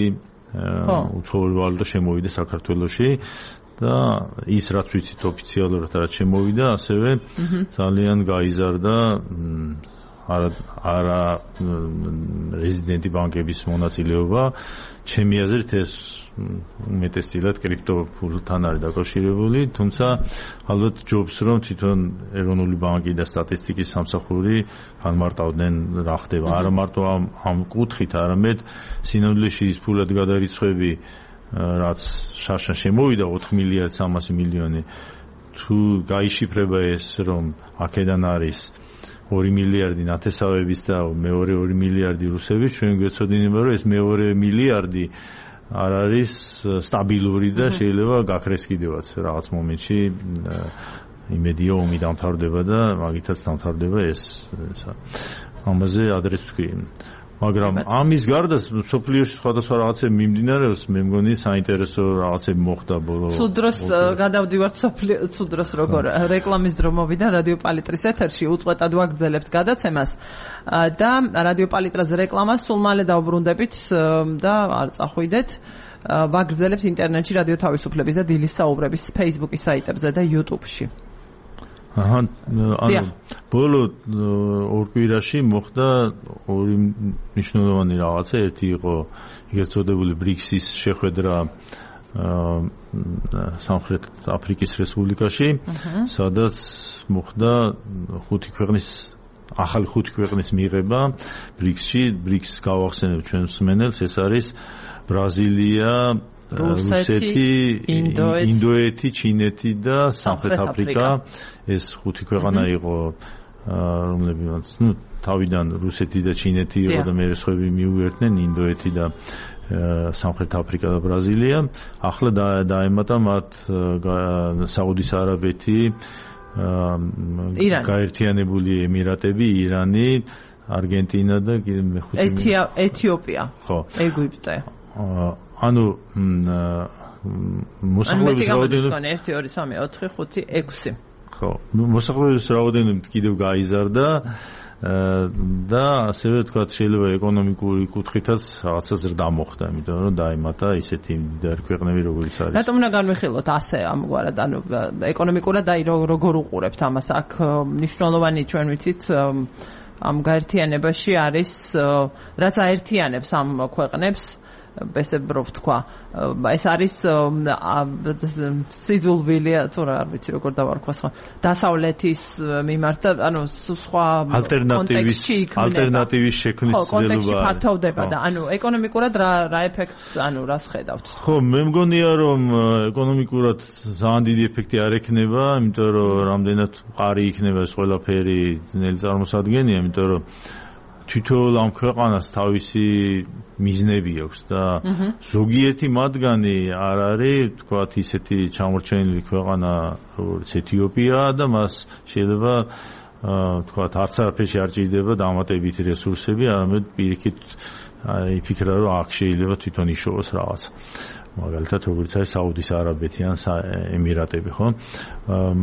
უცხოური ვალუტა შემოვიდა საქართველოში და ის რაც ვიცით ოფიციალურად რაც შემოვიდა ასევე ძალიან გაიზარდა არა არა რეზიდენტი ბანკების მონაწილეობა ჩემი აზრით ეს უმეტესწილად კრიპტოფულთან არის დაკავშირებული თუმცა ალბათ ჯობს რომ თვითონ ეროვნული ბანკი და სტატისტიკის სამსახური განმარტავდნენ რა ხდება არა მარტო ამ ამ კუთხით არამედ სინამდვილეში ის ფულად გადარიცხვები რაც შარშან შემოვიდა ოთხ მილიარდ სამასი მილიონი თუ გაიშიფრება ეს რომ აქედან არის ორი მილიარდი ნათესავების და მეორე ორი მილიარდი რუსების ჩვენ გვეცოდინება რომ ეს მეორე მილიარდი არ არის სტაბილური და შეიძლება გაქრეს კიდევაც რაღაც მომენტში იმედია ომი დამთავრდება და მაგითაც დამთავრდება ეს ამაზე ადრეს თქვი მაგრამ ამის გარდა სოფლიოში სხვადასხვა რაღაცები მიმდინარეობს მე მგონი საინტერესო რაღაცები მოხდა ბოლო სულ დროს გადავდივართ სულ დროს როგორ რეკლამის დრო მოვიდა რადიო პალიტრის ეთერში უწყვეტად ვაგრძელებთ გადაცემას და რადიო პალიტრაზე რეკლამას სულ მალე დავბრუნდებით და არ წახვიდეთ ვაგრძელებთ ინტერნეტში რადიო თავისუფლების და დილის საუბრების Facebook-ის საიტებზე და YouTube-ში აჰა ანუ ბოლო ორ კვირაში მოხდა ორი მნიშვნელოვანი რაღაცა ერთი იყო ეგრეთ წოდებული ბრიქსის შეხვედრა სამხრეთ აფრიკის რესპუბლიკაში სადაც მოხდა ხუთი ქვეყნის ახალი ხუთი ქვეყნის მიღება ბრიქსში ბრიქსს გავახსენებ ჩვენ მსმენელს ეს არის ბრაზილია რუსეთი, ინდოეთი, ჩინეთი და სამხრეთ აფრიკა ეს ხუთი ქვეყანა იყო რომლებიც ნუ თავიდან რუსეთი და ჩინეთი იყო და მე სხვები მიუერთდნენ ინდოეთი და სამხრეთ აფრიკა და ბრაზილია ახლა დაემატა მათ საუდის არაბეთი გაერთიანებული ემირატები, ირანი არგენტინა და მეხუთე ეთიოპია. ხო. ეგვიპტე. ანუ მოსახლეობის რაოდენობა ერთი ორი სამი ოთხი ხუთი ექვსი. ხო, მოსახლეობის რაოდენობა კიდევ გაიზარდა და ასევე თქვა შეიძლება ეკონომიკური კუთხითაც რაღაცა ზრდა მოხდა, იმიტომ რომ დაემატა ისეთი მდიდარი ქვეყნები როგორიც არის. რატომ უნდა განვიხილოთ ასე ამგვარად, ანუ ეკონომიკურად აი როგორ უყურებთ ამას? აქ მნიშვნელოვანი ჩვენ ვიცით ამ გაერთიანებაში არის რაც აერთიანებს ამ ქვეყნებს ბესებრով თქვა ეს არის სიძულვილია თუ რა არ ვიცი როგორ დავარქვა სხვა დასავლეთის მიმართ და ანუ სხვა ალტერნატივის ალტერნატივის შექმნის ძნელობა კონტექსტი ფართოვდება და ანუ ეკონომიკურად რა რა ეფექტს ანუ რას ხედავთ? ხო, მე მგონია რომ ეკონომიკურად ძალიან დიდი ეფექტი არ ექნება, იმიტომ რომ რამდენად მყარი იქნება ეს ყველაფერი ძნელი წარმოსადგენია, იმიტომ რომ თვითონ ამ ქვეყანას თავისი მიზნები აქვს და ზოგიერთი მათგანი არ არის თქვათ ისეთი ჩამორჩენილი ქვეყანა როგორც ეთიოპია და მას შეიძლება თქვათ არც არაფერში არ ჭირდება დამატებითი რესურსები, არამედ პირიქით იფიქრა რომ აქ შეიძლება თვითონ იშოვოს რაღაც. მაგალითად როგორც არის საუდის არაბეთი ან ემირატები, ხო?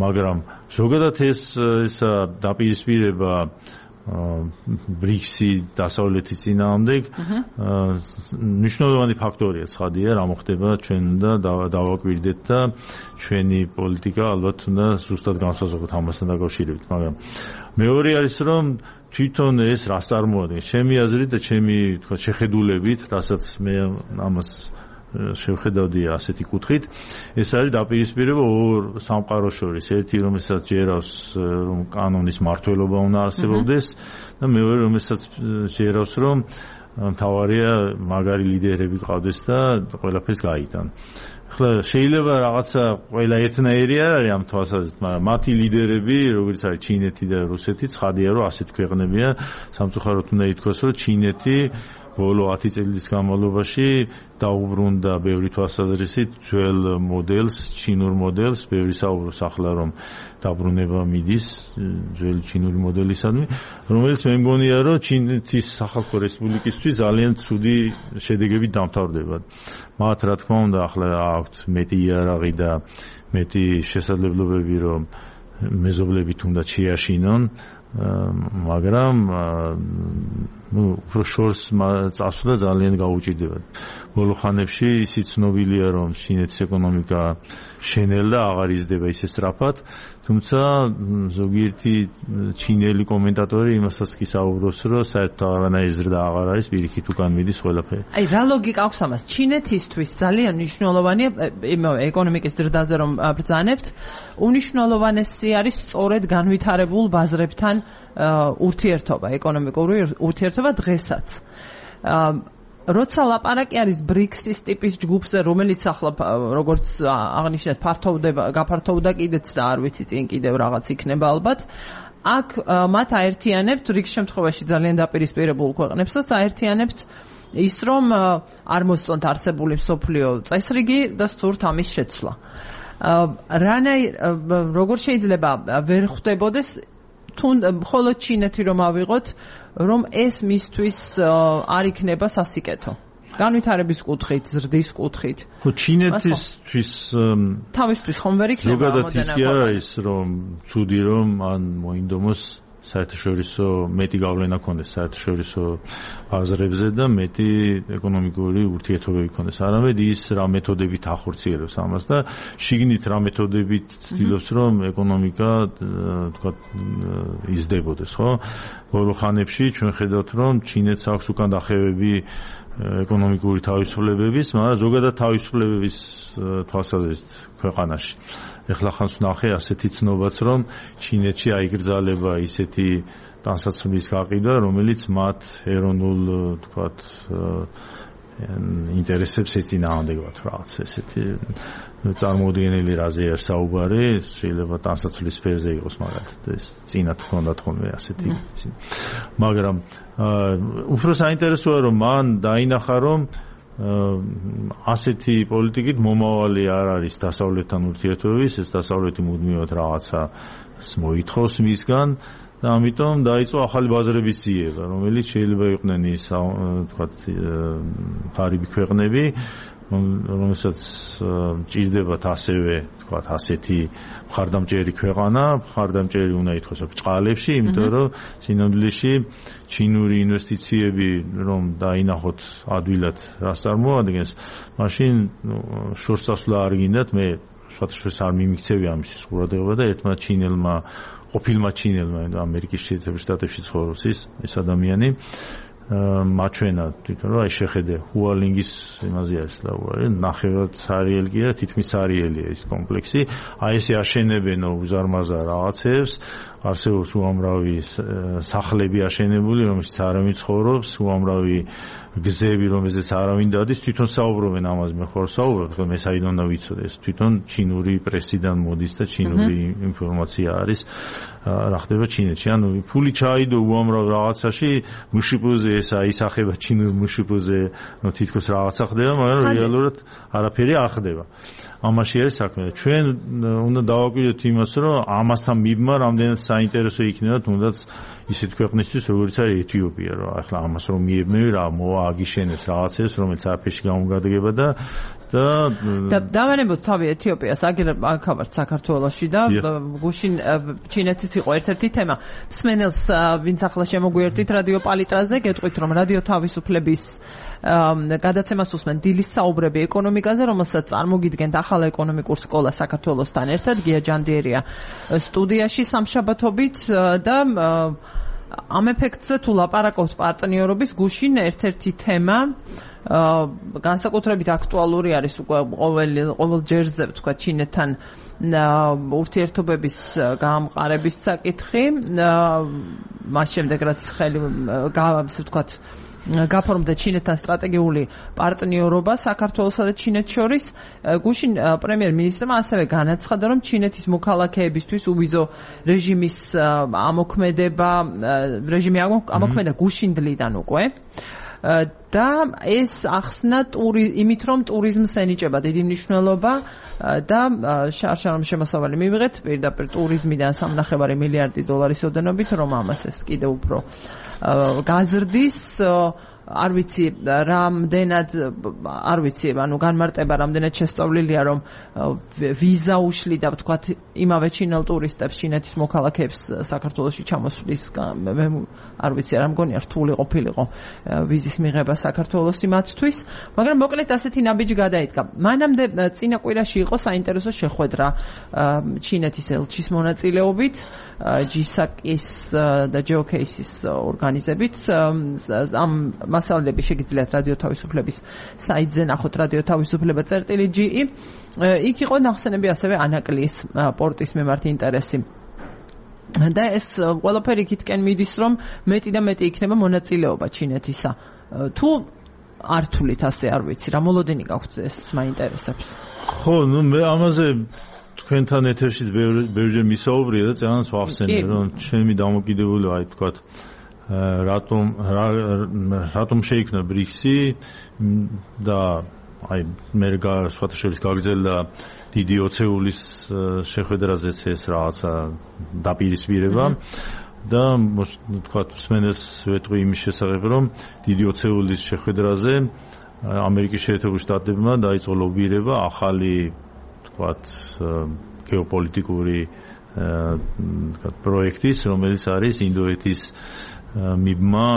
მაგრამ ზოგადად ეს ეს დაპირისპირება ბრიქსი დასავლეთის წინააღმდეგ მნიშვნელოვანი ფაქტორია, ცხადია, რა მოხდება ჩვენ უნდა დავაკვირდეთ და ჩვენი პოლიტიკა ალბათ უნდა ზუსტად განსაზღვროთ ამასთან დაკავშირებით, მაგრამ მეორე არის რომ თვითონ ეს რას წარმოადგენს ჩემი აზრით და ჩემი თქვა შეხედულებით, რასაც მე ამას შევხედავდი ასეთი კუთხით, ეს არის დაპირისპირება ორ სამყაროს შორის, ერთი რომელსაც ჯერავს რომ კანონის მართლობა უნდა არსებობდეს და მეორე რომელსაც ჯერავს რომ მთავარია მაგარი ლიდერები ყავდეს და ყველაფერს გაიტან. ახლა შეიძლება რაღაცა ყველა ერთნაირი არ არის ამ თვალსაზრისით, მაგრამ მათი ლიდერები, როგორც არის ჩინეთი და რუსეთი, ცხადია რომ ასეთ ქვეყნებია, სამწუხაროდ უნდა ითქვას, რომ ჩინეთი ბოლო ათი წლის განმავლობაში დაუბრუნდა ბევრი თვალსაზრისით ძველ მოდელს, ჩინურ მოდელს, ბევრი საუბრობს ახლა რომ დაბრუნება მიდის ძველი ჩინური მოდელისადმი, რომელიც მე მგონია რომ ჩინეთის სახალხო რესპუბლიკისთვის ძალიან ცუდი შედეგებით დამთავრდება. მათ რა თქმა უნდა ახლა აქვთ მეტი იარაღი და მეტი შესაძლებლობები რომ მეზობლებით უნდა შეაშინონ, მაგრამ ну უფრო შორს წასვლა ძალიან გაუჭირდება. ბოლო ხანებში ისიც ცნობილია რომ ჩინეთის ეკონომიკა შენელ და აღარ იზრდება ისე სწრაფად, თუმცა ზოგიერთი ჩინელი კომენტატორი იმასაც კი საუბრობს რომ საერთოდ აღარანაირი ზრდა აღარ არის, პირიქით უკან მიდის ყველაფერი. აი რა ლოგიკა აქვს ამას? ჩინეთისთვის ძალიან მნიშვნელოვანია ეკონომიკის ზრდაზე რომ ბრძანებთ, უნიშნულოვანესი არის სწორედ განვითარებულ ბაზრებთან ურთიერთობა, ეკონომიკური ურთიერთობა დღესაც. როცა ლაპარაკი არის ბრიქსის ტიპის ჯგუფზე, რომელიც ახლა როგორც აღნიშნეთ, ფართოვდება, გაფართოვდა კიდეც და არ ვიცი წინ კიდევ რაღაც იქნება ალბათ. აქ მათ აერთიანებთ ბრიქსის შემთხვევაში ძალიან დაპირისპირებულ ქვეყნებსაც აერთიანებთ ის რომ არ მოსწონთ არსებული მსოფლიო წესრიგი და სურთ ამის შეცვლა. რანაირ როგორ შეიძლება ვერ ხვდებოდეს მხოლოდ ჩინეთი რომ ავიღოთ, რომ ეს მისთვის არ იქნება სასიკეთო. განვითარების კუთხით, ზრდის კუთხით. ხო, ჩინეთისთვის თავისთვის ხომ ვერ იქნება ამოდენა. ზოგადად ის კი არ არის რომ ცუდი რომ ან მოინდომოს საერთაშორისო მეტი გავლენა ქონდეს საერთაშორისო ბაზრებზე და მეტი ეკონომიკური ურთიერთობები ქონდეს. არამედ ის რა მეთოდებით ახორციელებს ამას და შიგნით რა მეთოდებით ცდილობს რომ ეკონომიკა თქვა იზრდებოდეს, ხო? ბოლო ხანებში ჩვენ ხედავთ რომ ჩინეთს აქვს უკან დახევები ეკონომიკური თავისუფლებების, მაგრამ ზოგადად თავისუფლებების თვალსაზრისით ქვეყანაში. ეხლა ხანს ვნახე ასეთი ცნობაც რომ ჩინეთში აიგრძალება ისეთი ტანსაცმლის გაყიდვა, რომელიც მათ ეროვნულ თქვათ ინტერესებს ეწინააღმდეგებათ რაღაც ესეთი წარმოუდგენელი რაზე არის საუბარი, შეიძლება ტანსაცმლის სფეროზე იყოს, მაგალითად ეს წინათ ჰქონდათ ხოლმე ასეთი. მაგრამ უფრო საინტერესოა რომ მან დაინახა რომ ასეთი პოლიტიკით მომავალი არ არის დასავლეთთან ურთიერთობების, ეს დასავლეთი მუდმივად რაღაცას მოითხოვს მისგან და ამიტომ დაიწყო ახალი ბაზრების ძიება, რომელიც შეიძლება იყვნენ ის თქვათ ღარიბი ქვეყნები, რომელსაც ჭირდებათ ასევე თქვათ ასეთი მხარდამჭერი ქვეყანა, მხარდამჭერი უნდა ითქვას ბჭყალებში, იმიტომ რომ სინამდვილეში ჩინური ინვესტიციები რომ დაინახოთ ადვილად რას წარმოადგენს, მაშინ შორს წასვლა არ გინდათ, მე შუათშორს არ მიმიქცევი ამის ყურადღება და ერთმა ჩინელმა, ყოფილმა ჩინელმა ამერიკის შეერთებულ შტატებში ცხოვრობს ის ეს ადამიანი მაჩვენა თვითონ რომ აი შეხედე ჰუალინგის იმაზე არის ლაური, ნახევრად სარიელი კი არა, თითქმის სარიელია ის კომპლექსი, აი ესე აშენებენ უზარმაზარ რაღაცებს, არსებობს უამრავი სახლები აშენებული, რომელშიც არავინ ცხოვრობს, უამრავი გზები, რომელზეც არავინ დადის, თვითონ საუბრობენ ამაზე, მე ხარ საუბრობ, რომ მე საიდან უნდა ვიცოდე, ეს თვითონ ჩინური პრესიდან მოდის და ჩინური ინფორმაცია არის, რა ხდება ჩინეთში. ანუ ფული ჩაიდო უამრავ რაღაცაში, მუშიპუზე ეს აისახება ჩინურ მუშიპუზე, ნუ თითქოს რაღაცა ხდება, მაგრამ რეალურად არაფერი არ ხდება. ამაში არის საქმე. ჩვენ უნდა დავაკვირდეთ იმას, რომ ამასთან მიბმა რამდენად საინტერესო იქნება თუნდაც ისეთ ქვეყნისთვის, როგორც არის ეთიოპია, რომ ახლა ამას რომ მიებნები, რა მოა აგიშენებს რაღაცებს, რომელიც არაფერში გამოგადგება და და დავანებოთ თავი ეთიოპიას, აგერებთ საქართველოში და გუშინ ჩინეთის იყო ერთ-ერთი თემა. მსმენელს ვინც ახლა შემოგვიერთით რადიო პალიტრაზე, გეტყვით რომ რადიო თავისუფლების გადაცემას უსმენ დილის საუბრები ეკონომიკაზე, რომელსაც წარმოგიდგენთ ახალ ეკონომიკურ სკოლა საქართველოსთან ერთად, გია ჯანდიერია სტუდიაში სამშაბათობით და ამ ეფექტზე თუ ლაპარაკობთ პარტნიორობის, გუშინ ერთ-ერთი თემა განსაკუთრებით აქტუალური არის უკვე ყოველ ყოველ ჯერზე თქვა ჩინეთთან ურთიერთობების გაამყარების საკითხი, მას შემდეგ რაც ხელი ასე ვთქვათ გაფორმდა ჩინეთთან სტრატეგიული პარტნიორობა საქართველოსა და ჩინეთს შორის. გუშინ პრემიერ-მინისტრმა ასევე განაცხადა, რომ ჩინეთის მოქალაქეებისთვის უვიზო რეჟიმის ამოქმედება, რეჟიმი ამოქმედა გუშინდლიდან უკვე. და ეს ახსნა იმით, რომ ტურიზმს ენიჭება დიდი მნიშვნელობა და შარშანომ შემოსავალი მივიღეთ პირდაპირ ტურიზმიდან სამნახევარი მილიარდი დოლარის ოდენობით, რომ ამას ეს კიდევ უფრო გაზრდის. არ ვიცი რამდენად არ ვიცი, ანუ განმარტება რამდენად შესწავლილია, რომ ვიზა უშლიდა ვთქვათ იმავე ჩინელ ტურისტებს, ჩინეთის მოქალაქეებს საქართველოში ჩამოსვლის, მე არ ვიცი, არ მგონია რთული ყოფილიყო ვიზის მიღება საქართველოსი მათთვის, მაგრამ მოკლედ ასეთი ნაბიჯი გადაიდგა. მანამდე წინა კვირაში იყო საინტერესო შეხვედრა ჩინეთის ელჩის მონაწილეობით, ჯისაკის და ჯეოკეისის ორგანიზებით. ამ მასალები შეგიძლიათ რადიო თავისუფლების საიტზე ნახოთ, რადიო თავისუფლება წერტილი ჯი ი. იქ იყო ნახსენები ასევე ანაკლის პორტის მიმართ ინტერესი. და ეს ყველაფერი იქითკენ მიდის, რომ მეტი და მეტი იქნება მონაწილეობა ჩინეთისა. თუ არ თulit ასე არ ვიცი, რა მოლოდინი გაქვთ ეს მაინტერესებს. ხო, ნუ მე ამაზე თქვენთან ეთერშიც ბევრჯერ მისაუბრია და წერანს ვახსენე, რომ ჩემი დამოკიდებულება, აი თქვათ რატომ რატომ შეიქმნა ბრიქსი და აი მე სხვათა შორის გაგრძელდა დიდი ოცეულის შეხვედრაზეც ეს რაღაცა დაპირისპირება და თქვათ მსმენელს ვეტყვი იმის შესახებ, რომ დიდი ოცეულის შეხვედრაზე ამერიკის შეერთებულ შტატებმა დაიწყო ლობირება ახალი თქვათ გეოპოლიტიკური თქვათ პროექტის, რომელიც არის ინდოეთის მიბმა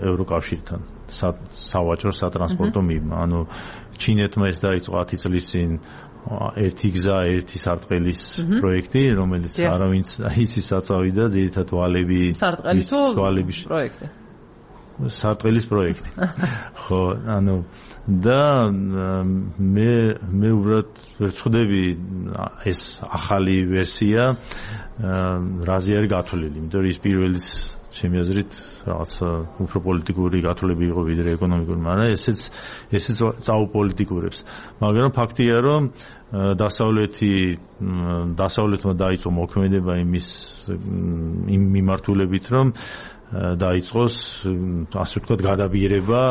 ევროკავშირთან, სავაჭრო სატრანსპორტო მიბმა. ანუ ჩინეთმა ეს დაიწყო ათი წლის წინ ერთი გზა, ერთი სარტყელის პროექტი, რომელიც არავინც იცის საწავი და ძირითადად ვალები სარტყელის პროექტი. სარტყელის პროექტი. ხო, ანუ და მე მე უბრალოდ ვერცხდები ეს ახალი ვერსია რაზე არის გათვლილი, იმიტომ რომ ის პირველიც ჩემი აზრით რაღაც უფრო პოლიტიკური გათვლები იყო ვიდრე ეკონომიკური, მაგრამ ესეც ესეც წაუპოლიტიკურებს. მაგრამ ფაქტია, რომ დასავლეთი დასავლეთმა დაიწყო მოქმედება იმის იმ მიმართულებით, რომ დაიწყოს ასე ვთქვათ გადაბიერება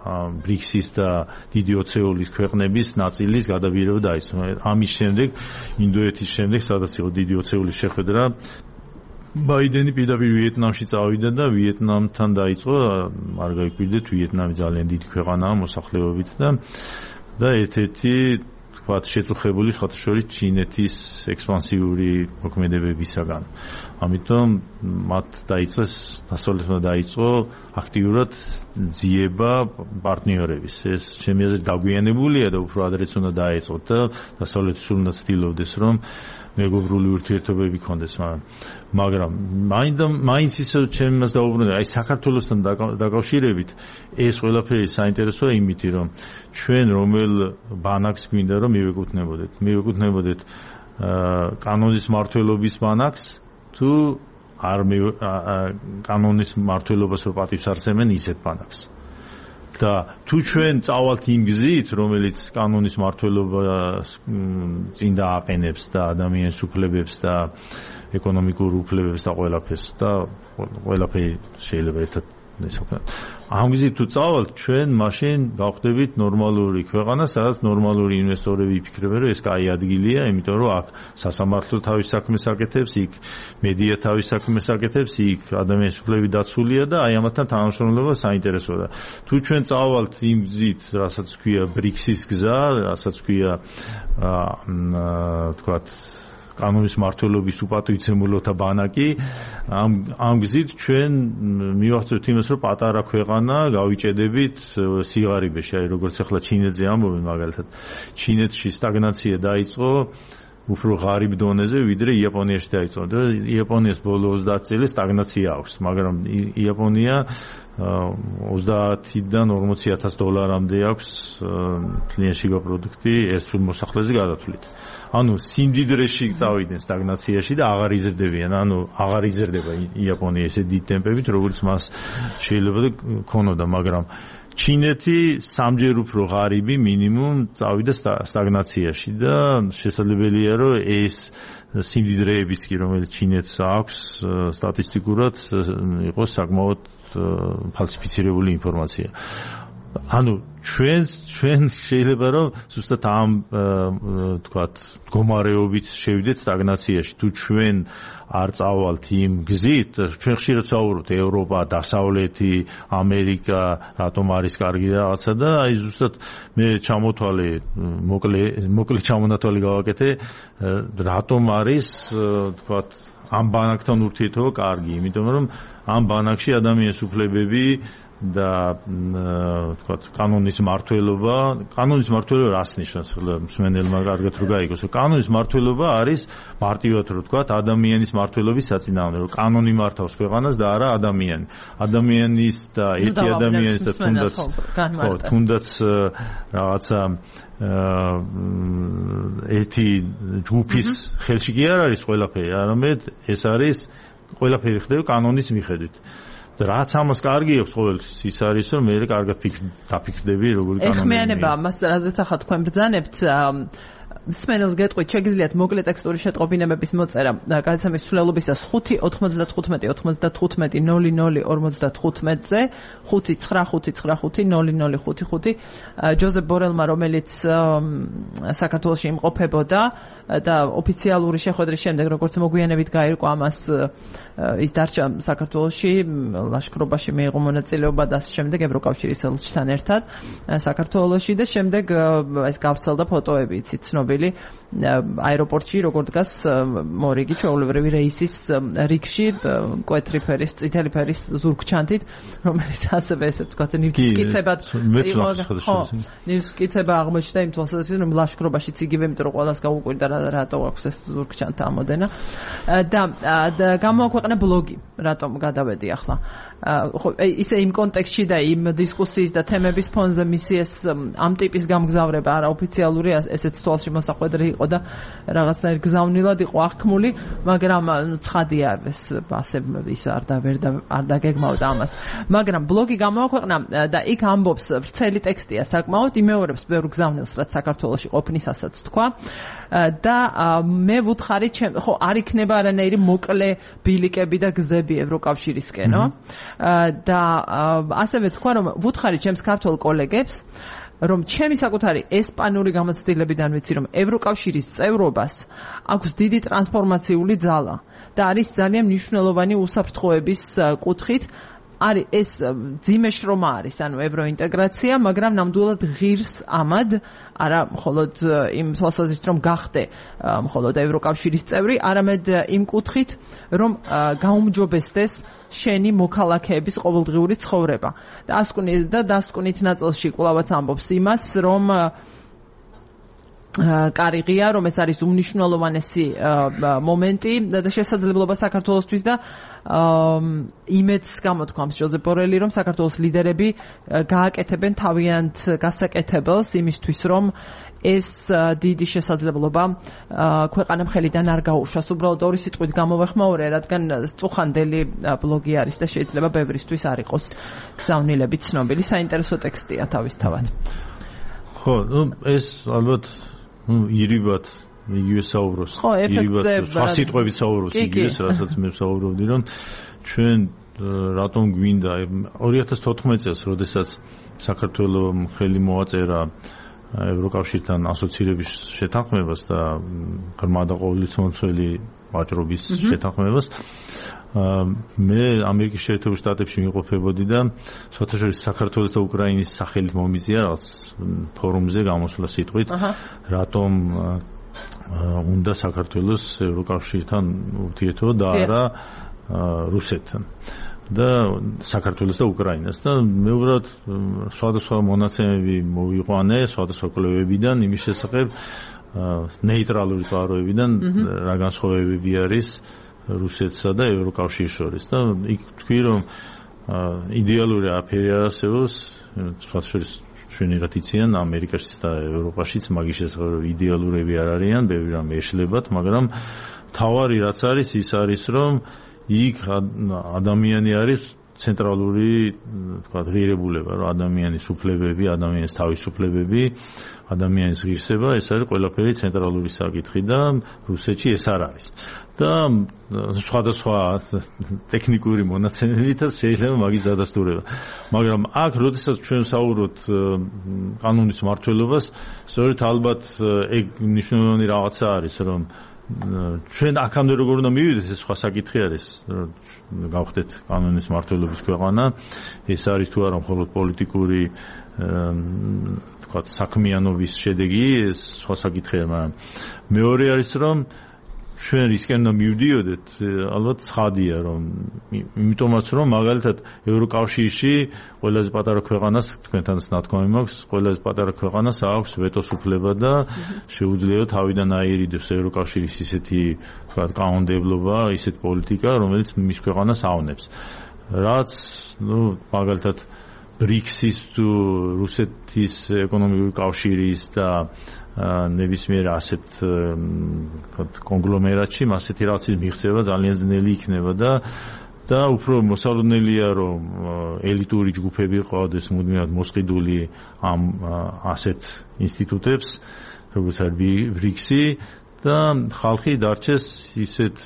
ბრიქსის და დიდი ოცეულის ქვეყნების ნაწილის გადაბიერება დაიწყო. ამის შემდეგ ინდოეთის შემდეგ, სადაც იყო დიდი ოცეულის შეხვედრა, ბაიდენი პირდაპირ ვიეტნამში წავიდა და ვიეტნამთან დაიწყო, არ გაიკვირდეთ, ვიეტნამი ძალიან დიდი ქვეყანაა მოსახლეობით და და ერთ-ერთი თქვათ შეწუხებული სხვათა შორის ჩინეთის ექსპანსიური მოქმედებებისაგან. ამიტომ მათ დაიწყეს დასავლეთმა დაიწყო აქტიურად ძიება პარტნიორების. ეს ჩემი აზრით დაგვიანებულია და უფრო ადრეც უნდა დაეწყოთ და დასავლეთი სულ უნდა ცდილობდეს რომ მეგობრული ურთიერთობები ქონდეს, მაგრამ მაინც ისე ჩემს დაუბრუნდა, აი საქართველოსთან დაკავშირებით ეს ყველაფერი საინტერესოა იმითი, რომ ჩვენ რომელ ბანაკს გვინდა რომ მივეკუთვნებოდეთ, მივეკუთვნებოდეთ კანონის მმართველობის ბანაკს თუ არ კანონის მმართველობას რო პატივს არსებენ ისეთ ბანაკს. და თუ ჩვენ წავალთ იმ გზით, რომელიც კანონის მმართველობას წინ დააყენებს და ადამიანის უფლებებს და ეკონომიკურ უფლებებს და ყველაფერს და ყველაფერი შეიძლება ერთად ესე ვთქვათ. ამ გზით თუ წავალთ, ჩვენ მაშინ გავხდებით ნორმალური ქვეყანა, სადაც ნორმალური ინვესტორები იფიქრებენ, რომ ეს კაი ადგილია, იმიტომ რომ აქ სასამართლო თავის საქმეს აკეთებს, იქ მედია თავის საქმეს აკეთებს, იქ ადამიანის უფლებები დაცულია და აი ამათთან თანამშრომლობა საინტერესოა და თუ ჩვენ წავალთ იმ გზით, რასაც ქვია ბრიქსის გზა, რასაც ქვია აა ვთქვათ კანონის მმართველობის უპატივცემულოთა ბანაკი, ამ ამ გზით ჩვენ მივახცევთ იმას, რომ პატარა ქვეყანა გავიჭედებით სიღარიბეში, აი როგორც ახლა ჩინეთზე ამბობენ მაგალითად. ჩინეთში სტაგნაცია დაიწყო უფრო ღარიბ დონეზე, ვიდრე იაპონიაში დაიწყო. და იაპონიას ბოლო ოცდაათი წელი სტაგნაცია აქვს, მაგრამ იაპონია ოცდაათიდან ორმოცი ათას დოლარამდე აქვს თლიანშიგა პროდუქტი ეს სულ მოსახლეზე გადათვლით. ანუ სიმდიდრეში წავიდნენ სტაგნაციაში და აღარ იზრდებიან, ანუ აღარ იზრდება იაპონია ესე დიდ ტემპებით, როგორც მას შეიძლება და ქონოდა, მაგრამ ჩინეთი სამჯერ უფრო ღარიბი მინიმუმ წავიდა სტაგნაციაში და შესაძლებელია რომ ეს სიმდიდრეების კი რომელიც ჩინეთს აქვს სტატისტიკურად იყოს საკმაოდ ფალსიფიცირებული ინფორმაცია. ანუ ჩვენ ჩვენ შეიძლება რომ ზუსტად ამ თქვათ მდგომარეობით შევიდეთ სტაგნაციაში. თუ ჩვენ არ წავალთ იმ გზით, ჩვენ ხშირად საუბრობთ ევროპა, დასავლეთი, ამერიკა, რატომ არის კარგი რაღაცა და აი ზუსტად მე ჩამოთვალე, მოკლე მოკლე ჩამონათვალი გავაკეთე, რატომ არის თქვათ ამ ბანაკთან ურთიერთობა კარგი, იმიტომ რომ ამ ბანაკში ადამიანის უფლებები და თქვათ კანონის მმართველობა, კანონის მმართველობა რას ნიშნავს? მსმენელმა კარგად რო გაიგოს, რომ კანონის მმართველობა არის მარტივად რო თქვათ ადამიანის მმართველობის საწინააღმდეგო, რომ კანონი მართავს ქვეყანას და არა ადამიანი. ადამიანის და ერთი ადამიანის და თუნდაც ხო, თუნდაც რაღაცა ერთი ჯგუფის ხელში კი არ არის ყველაფერი, არამედ ეს არის ყველაფერი ხდება კანონის მიხედვით. რაც ამას კარგი აქვს ყოველთვის ის არის რომ მე კარგად დაფიქრდები როგორი კანონია. ეხმიანება ამას რაზეც ახლა თქვენ ბრძანებთ მსმენელს გეტყვით, შეგიძლიათ მოკლე ტექსტური შეტყობინებების მოწერა გადაცემის ცვლილობისას ხუთი ოთხმოცდათხუთმეტი ოთხმოცდათხუთმეტი ნული ნული ორმოცდათხუთმეტზე ხუთი ცხრა ხუთი ცხრა ხუთი ნული ნული ხუთი ხუთი ჯოზეფ ბორელმა, რომელიც საქართველოში იმყოფებოდა და ოფიციალური შეხვედრის შემდეგ როგორც მოგვიანებით გაირკვა ამას ის დარჩა საქართველოში, ლაშქრობაში მიიღო მონაწილეობა და შემდეგ ევროკავშირის ელჩთან ერთად საქართველოში და შემდეგ ეს გავრცელდა ფოტოები, იცით, ცნობილი აეროპორტში როგორ დგას მორიგი ჩვეულებრივი რეისის რიგში მკვეთრი ფერის, წითელი ფერის ზურგჩანთით, რომელიც ასევე ესე ვთქვათ ნივთკიცებად იყო. ხო, ნივთკიცება აღმოჩნდა იმ თვალსაზრისით, რომ ლაშქრობაშიც იგივე, იმიტომ რომ ყველას გაუკვირდა რატო აქვს ეს ზურგჩანთა ამოდენა და გამოაქვეყნა ბლოგი, რატომ გადავედი ახლა. ხო, ისე იმ კონტექსტში და იმ დისკუსიის და თემების ფონზე მისი ეს ამ ტიპის გამგზავრება არაოფიციალური ესეც თვალში მოსახვედრი იყო და რაღაცნაირ გზავნილად იყო აღქმული, მაგრამ ცხადია ეს ასე ის არ და ვერ და არ დაგეგმავდა ამას. მაგრამ ბლოგი გამოაქვეყნა და იქ ამბობს, ვრცელი ტექსტია საკმაოდ, იმეორებს ბევრ გზავნილს, რაც საქართველოში ყოფნისასაც თქვა და მე ვუთხარი, ხო, არ იქნება არანაირი მოკლე ბილიკები და გზები ევროკავშირისკენო და ასევე თქვა, რომ ვუთხარი ჩემს ქართველ კოლეგებს, რომ ჩემი საკუთარი ესპანური გამოცდილებიდან ვიცი, რომ ევროკავშირის წევრობას აქვს დიდი ტრანსფორმაციული ძალა და არის ძალიან მნიშვნელოვანი უსაფრთხოების კუთხით. არის ეს ძიმე შრომა არის, ანუ ევროინტეგრაცია, მაგრამ ნამდვილად ღირს ამად, არა მხოლოდ იმ თვალსაზრისით, რომ გახდე მხოლოდ ევროკავშირის წევრი, არამედ იმ კუთხით, რომ გაუმჯობესდეს შენი მოქალაქეების ყოველდღიური ცხოვრება. და ასკვნით და დასკვნით ნაწილში კვლავაც ამბობს იმას, რომ კარი ღია, რომ ეს არის უმნიშვნელოვანესი მომენტი და შესაძლებლობა საქართველოსთვის და იმედს გამოთქვამს ჟოზეფ ბორელი, რომ საქართველოს ლიდერები გააკეთებენ თავიანთ გასაკეთებელს იმისთვის, რომ ეს დიდი შესაძლებლობა ქვეყანა მხრიდან არ გაუშვას. უბრალოდ ორი სიტყვით გამოვეხმაურე, რადგან წუხანდელი ბლოგი არის და შეიძლება ბევრისთვის არ იყოს გზავნილები ცნობილი. საინტერესო ტექსტია თავისთავად. ხო, ну ეს ალბათ ირიბად იგივე საუბრობს. ხო, ეფექტზე სხვა სიტყვებით საუბრობს იგივეს, რასაც მე ვსაუბრობდი, რომ ჩვენ რატომ გვინდა ორი ათას თოთხმეტ წელს, როდესაც საქართველოს ხელი მოაწერა ევროკავშირთან ასოცირების შეთანხმებას და ღრმა და ყოვლისმომცველი ვაჭრობის შეთანხმებას, მე ამერიკის შეერთებულ შტატებში მიყოფებოდი და საერთაშორისო საქართველოს და უკრაინის სახელით მომიწია რაღაც ფორუმზე გამოსვლა სიტყვით, რატომ უნდა საქართველოს ევროკავშირთან ურთიერთობა და არა რუსეთთან და საქართველოს და უკრაინას და მე უბრალოდ სხვადასხვა მონაცემები მოვიყვანე სხვადასხვა კვლევებიდან იმის შესახებ ნეიტრალური წყაროებიდან რა განსხვავებები არის რუსეთსა და ევროკავშირის შორის და იქ თქვი რომ იდეალური აფერი არსებობს სხვადასხვა ჩვენიღაც იციან ამერიკაშიც და ევროპაშიც მაგის შესახებ იდეალურები არ არიან ბევრი რამ ეშლებათ მაგრამ თავარი რაც არის ის არის რომ იქ ადამიანი არის ცენტრალური თქვა ღირებულება რომ ადამიანის უფლებები ადამიანის თავისუფლებები ადამიანის ღირსება ეს არის ყველაფერი ცენტრალური საკითხი და რუსეთში ეს არ არის და სხვადასხვა ტექნიკური მონაცემებითაც შეიძლება მაგის დადასტურება მაგრამ აქ როდესაც ჩვენ საუბრობთ კანონის მმართველობას სწორედ ალბათ ეგ მნიშვნელოვანი რაღაცა არის რომ ჩვენ აქამდე როგორ უნდა მივიდეს ეს სხვა საკითხი არის გავხდეთ კანონის მმართველობის ქვეყანა ეს არის თუ არა მხოლოდ პოლიტიკური თქვა საქმიანობის შედეგი ეს სხვა საკითხია მაგრამ მეორე არის რომ ჩვენ რისკენ უნდა მივდიოდეთ ალბათ ცხადია რომ იმიტომაც რომ მაგალითად ევროკავშირში ყველაზე პატარა ქვეყანას თქვენთანაც ნათქვამი მაქვს ყველაზე პატარა ქვეყანას აქვს ვეტოს უფლება და შეუძლია თავიდან აერიდოს ევროკავშირის ისეთი თქვა კანონმდებლობა ისეთ პოლიტიკა რომელიც მის ქვეყანას ავნებს რაც ნუ მაგალითად ბრიქსის თუ რუსეთის ეკონომიკური კავშირის და ნებისმიერ ასეთ კონგლომერატში ასეთი რაღაცის მიღწევა ძალიან ძნელი იქნება და და უფრო მოსალოდნელია რომ ელიტური ჯგუფები ყავდეს მუდმივად მოსყიდული ამ ასეთ ინსტიტუტებს როგორც არის ბრიქსი და ხალხი დარჩეს ისეთ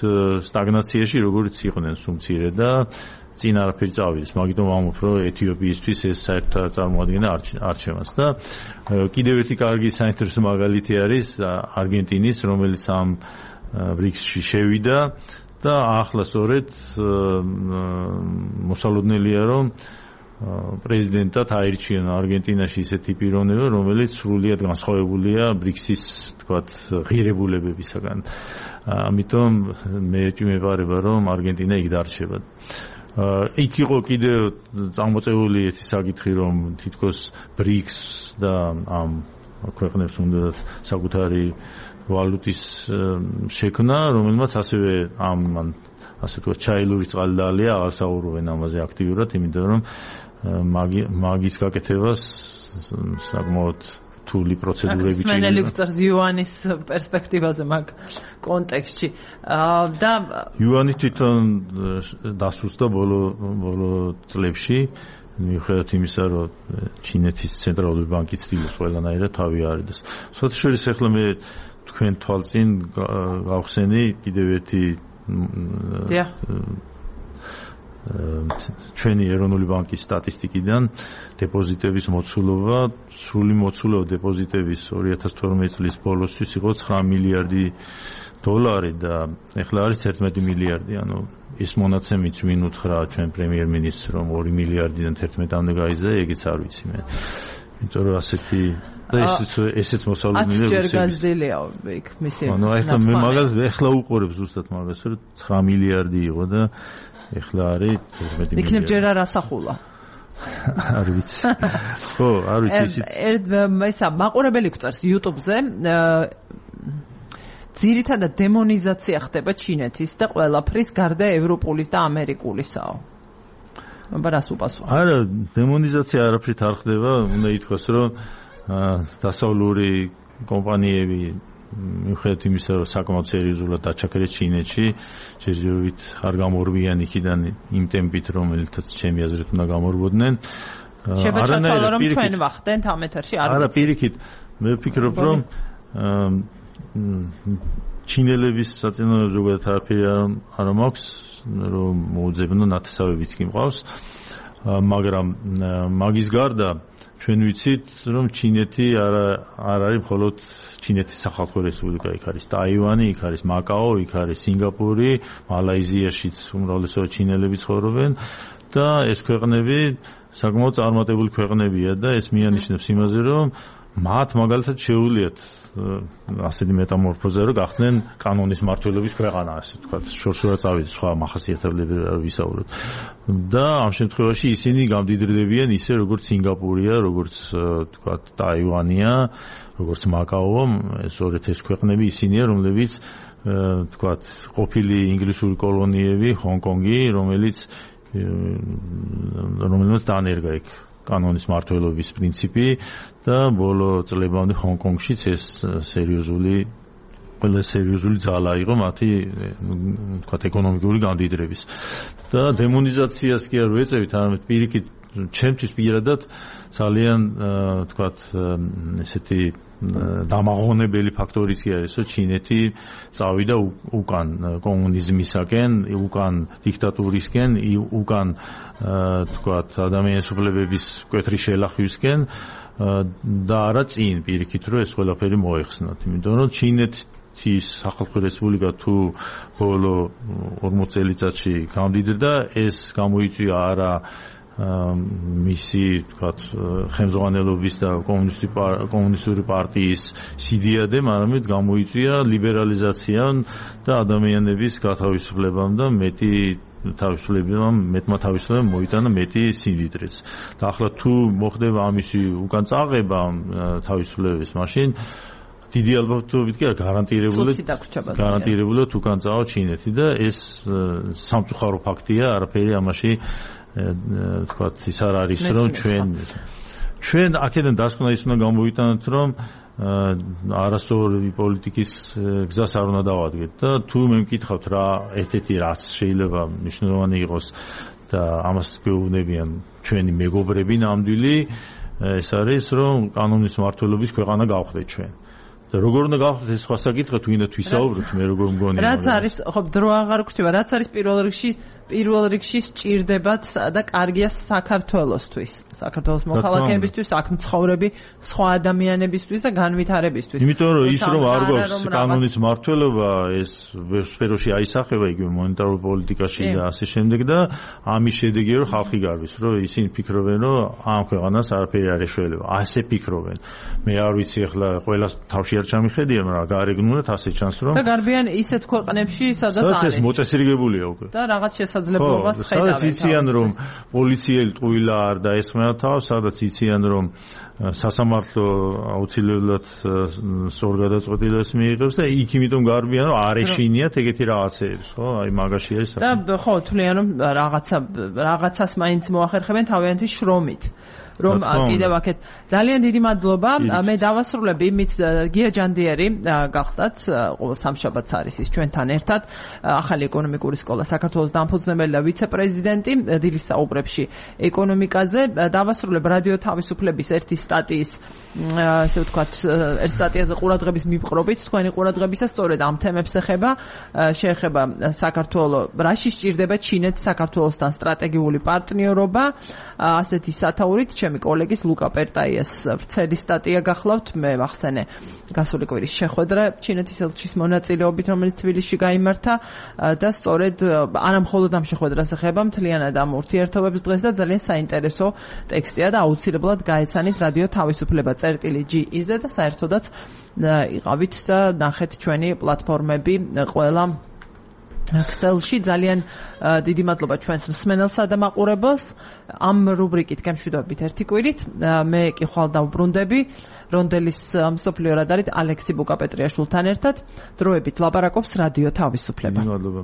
სტაგნაციაში როგორც იყვნენ სუმცირე და წინ არაფერი წავიდეს მაგიტომ ამბობ რომ ეთიოპიისთვის ეს საერთოდ წარმოადგენა არჩევანს და კიდევ ერთი კარგი საინტერესო მაგალითი არის არგენტინის რომელიც ამ ბრიქსში შევიდა და ახლა სწორედ მოსალოდნელია რომ პრეზიდენტად აირჩიონ არგენტინაში ისეთი პიროვნება რომელიც სრულიად განსხვავებულია ბრიქსის თქვათ ღირებულებებისაგან ამიტომ მე ვიმეფარება რომ არგენტინა იქ დარჩება იქ იყო კიდევ წარმოწეული ერთი საკითხი რომ თითქოს ბრიქს და ამ ქვეყნებს უნდა საკუთარი ვალუტის შექმნა რომელმაც ასევე ამ ასე თქვა ჩაილური წყალი დალია აღარ საუბრობენ ამაზე აქტიურად იმიტომ რომ მაგის გაკეთებას საკმაოდ რთული პროცედურები ჭირდება. სმენელი გვწევს იუანის პერსპექტივაზე მაგ კონტექსტში. და იუანი თვითონ დასუსტდა ბოლო ბოლო წლებში, მიუხედავად იმისა, რომ ჩინეთის ცენტრალური ბანკი ცდილობს ყველანაირად თავი არიდეს. საერთაშორისო ახლა მე თქვენ თვალწინ გავხსენი კიდევ ერთი ჩვენი ეროვნული ბანკის სტატისტიკიდან დეპოზიტების მოცულობა, სრული მოცულობა დეპოზიტების ორი ათას თორმეტი წლის ბოლოსთვის იყო ცხრა მილიარდი დოლარი და ეხლა არის ერთმეტი მილიარდი, ანუ ის მონაცემიც ვინ უთხრა ჩვენ პრემიერ-მინისტრს რომ ორი მილიარდიდან ერთმეტამდე გაიზარდა, ეგეც არ ვიცი მე. იმიტომ რომ ასეთი და ესეც ესეც მოსალოდნელია რუსეთის. ათჯერ გაზრდილია იქ მისი. ანუ ეხლა მე მაგალითად ეხლა უყურებ ზუსტად მაგას რომ ცხრა მილიარდი იყო და ეხლა არის ერთმეტი მილიარდი. იქნებ ჯერ არ ასახულა. არ ვიცი. ხო, არ ვიცი ისიც. ერთ ესა მაყურებელი გვწერს YouTube-ზე ძირითადად დემონიზაცია ხდება ჩინეთის და ყველაფრის გარდა ევროპულის და ამერიკულისაო. აბა რას უპასუხო? არა, დემონიზაცია არაფრით არ ხდება, უნდა ითქვას, რომ დასავლური კომპანიები მიუხედავად იმისა, რომ საკმაოდ სერიოზულად დაჩაქრეს ჩინეთში, ჯერჯერობით არ გამორბიან იქიდან იმ ტემპით, რომელთაც ჩემი აზრით უნდა გამორბოდნენ. შეფერჩათვალო რომ ჩვენ ვახდენთ ამ ეთერში არ ვიცი. არა, პირიქით, მე ვფიქრობ, რომ ჩინელების საწინააღმდეგო ზოგადად არაფერი არ მაქვს, რომ მოუძებნო ნათესავებიც კი მყავს, მაგრამ მაგის გარდა ჩვენ ვიცით, რომ ჩინეთი არ არ არის მხოლოდ ჩინეთის სახალხო რესპუბლიკა, იქ არის ტაივანი, იქ არის მაკაო, იქ არის სინგაპური, მალაიზიაშიც უმრავლესობა ჩინელები ცხოვრობენ და ეს ქვეყნები საკმაოდ წარმატებული ქვეყნებია და ეს მიანიშნებს იმაზე, რომ მათ მაგალითად შეუძლიათ ასეთი მეტამორფოზა, რომ გახდნენ კანონის მმართველობის ქვეყანა, ასე ვთქვათ, შორშორა წავიდეს სხვა მახასიათებლები ვისაუბროთ. და ამ შემთხვევაში ისინი გამდიდრდებიან ისე, როგორც სინგაპურია, როგორც ვთქვათ, ტაივანია, როგორც მაკაო, ეს ორეთ ეს ქვეყნები ისინია, რომლებიც ვთქვათ, ყოფილი ინგლისური კოლონიები, ჰონკონგი, რომელიც რომელიც დაანერგა იქ კანონის მმართველობის პრინციპი და ბოლო წლებამდე ჰონკონგშიც ეს სერიოზული ყველა სერიოზული ძალა იყო მათი თქვათ ეკონომიკური გამდიდრების და დემონიზაციას კი არ ვეწევით, არამედ პირიქით ჩემთვის პირადად ძალიან თქვათ ესეთი დამაღონებელი ფაქტორიც კი არის, რომ ჩინეთი წავიდა უკან კომუნიზმისაკენ, უკან დიქტატურისკენ, უკან თქვათ ადამიანის უფლებების მკვეთრი შელახვისკენ და არა წინ პირიქით, რომ ეს ყველაფერი მოეხსნათ. იმიტომ რომ ჩინეთის სახალხო რესპუბლიკა თუ ბოლო ორმოც წელიწადში გამდიდრდა, ეს გამოიწვია არა მისი თქვათ ხელმძღვანელობის და კომუნისტური პარტიის სიდიადემ, არამედ გამოიწვია ლიბერალიზაციამ და ადამიანების გათავისუფლებამ და მეტი თავისუფლებამ, მეტმა თავისუფლებამ მოიტანა მეტი სიმდიდრეც. და ახლა თუ მოხდება ამისი უკან წაღება თავისუფლების, მაშინ დიდი ალბათობით კი გარანტირებულად გარანტირებულად უკან წავა ჩინეთი და ეს სამწუხარო ფაქტია, არაფერი ამაში თქვათ ის არ არის, რომ ჩვენ ჩვენ აქედან დასკვნა ის უნდა გამოვიტანოთ, რომ არასწორი პოლიტიკის გზას არ უნდა დავადგეთ და თუ მე მკითხავთ რა ერთ-ერთი რაც შეიძლება მნიშვნელოვანი იყოს და ამას გვეუბნებიან ჩვენი მეგობრები ნამდვილი, ეს არის, რომ კანონის მმართველობის ქვეყანა გავხდეთ ჩვენ. და როგორ უნდა გავხდეთ ეს სხვა საკითხი, თუ ინდა თვისაუბროთ, მე როგორ მგონია. რაც არის, ხო, დრო აღარ გვხვდება, რაც არის პირველ რიგში, პირველ რიგში სჭირდებათ და კარგია საქართველოსთვის, საქართველოს მოქალაქეებისთვის, აქ მცხოვრები სხვა ადამიანებისთვის და განვითარებისთვის. იმიტომ რომ ის რომ არ გვაქვს კანონის მმართველობა, ეს სფეროში აისახება იგივე მონეტარულ პოლიტიკაში და ასე შემდეგ და ამის შედეგია რომ ხალხი გარბის, რომ ისინი ფიქრობენ, რომ ამ ქვეყანას არაფერი არ ეშველება. ასე ფიქრობენ. მე არ ვიცი ახლა ყველას თავში არ ჩამიხედია, მაგრამ გარეგნულად ასე ჩანს, რომ და გარბიან ისეთ ქვეყნებში, სადაც არის. სადაც ეს მოწესრიგებულია უკვე. და რაღაც შესაძლებლობას ხედავენ. სადაც იციან, რომ პოლიციელი ტყუილა არ დაესხმება თავს, სადაც იციან, რომ სასამართლო აუცილებლად სწორ გადაწყვეტილებას მიიღებს და იქ იმიტომ გარბიან, რომ არ ეშინიათ ეგეთი რაღაცეებს, ხო? აი მაგაში არის. და ხო, თვლიან, რომ რაღაცა რაღაცას მაინც მოახერხებენ თავიანთი შრომით. რომ კიდევ აქეთ ძალიან დიდი მადლობა. მე დავასრულებ იმით გია ჯანდიერი გახდათ ყოველ სამშაბათს არის ის ჩვენთან ერთად ახალი ეკონომიკური სკოლა საქართველოს დამფუძნებელი და ვიცე-პრეზიდენტი დილის საუბრებში ეკონომიკაზე. დავასრულებ რადიო თავისუფლების ერთი სტატიის ესე ვთქვათ ერთ სტატიაზე ყურადღების მიპყრობით თქვენი ყურადღებისა სწორედ ამ თემებს ეხება შეეხება საქართველოს რაში სჭირდება ჩინეთს საქართველოსთან სტრატეგიული პარტნიორობა ასეთი სათაურით ჩემი კოლეგის ლუკა პერტაიას ვრცელი სტატია გახლავთ. მე ვახსენე გასული კვირის შეხვედრა ჩინეთის ელჩის მონაწილეობით რომელიც თბილისში გაიმართა და სწორედ არა მხოლოდ ამ შეხვედრას ეხება მთლიანად ამ ურთიერთობებს დღეს და ძალიან საინტერესო ტექსტია და აუცილებლად გაეცანით რადიო თავისუფლება წერტილი ჯი იზ-ზე და საერთოდაც იყავით და ნახეთ ჩვენი პლატფორმები ყველა ქსელში. ძალიან დიდი მადლობა ჩვენს მსმენელსა და მაყურებელს. ამ რუბრიკით გემშვიდობებით ერთი კვირით. მე კი ხვალ დავბრუნდები რონდელის მსოფლიო რადარით ალექსი ბუკაპეტრიაშვილთან ერთად. დროებით ლაპარაკობს რადიო თავისუფლება. მადლობა.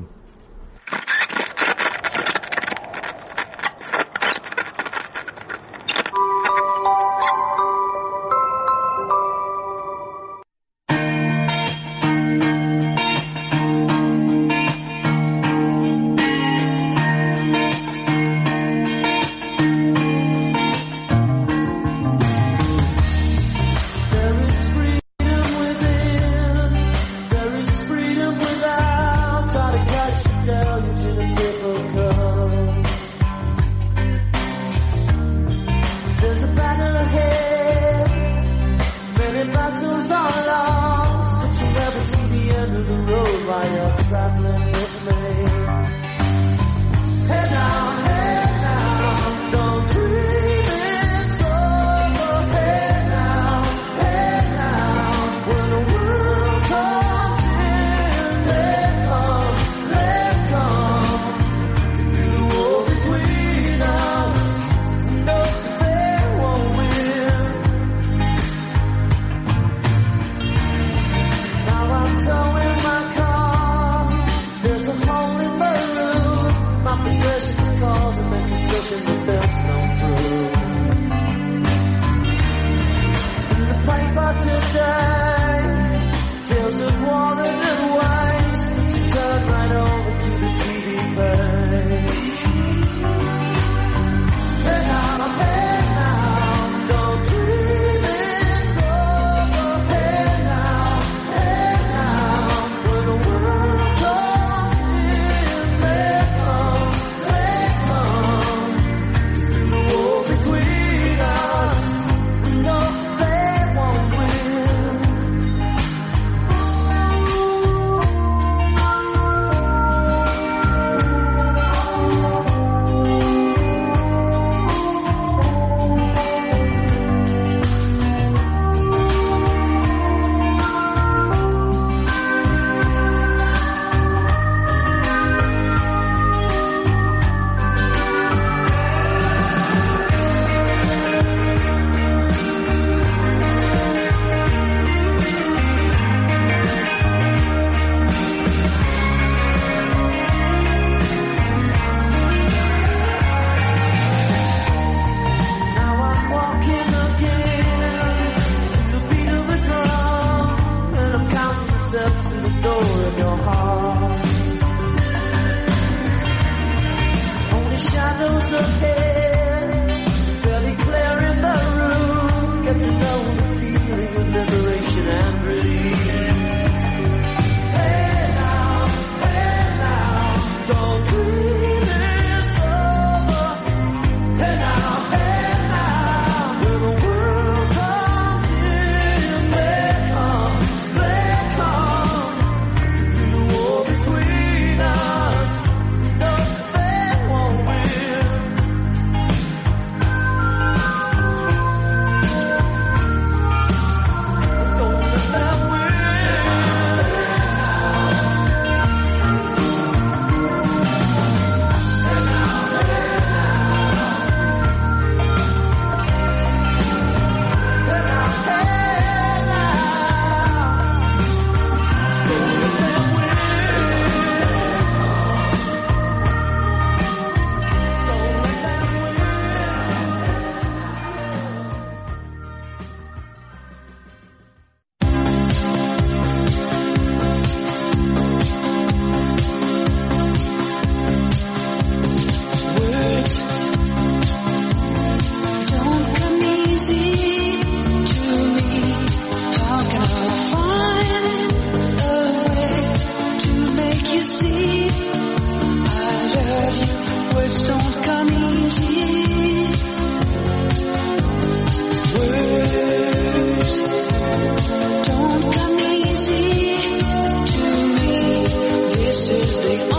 Darling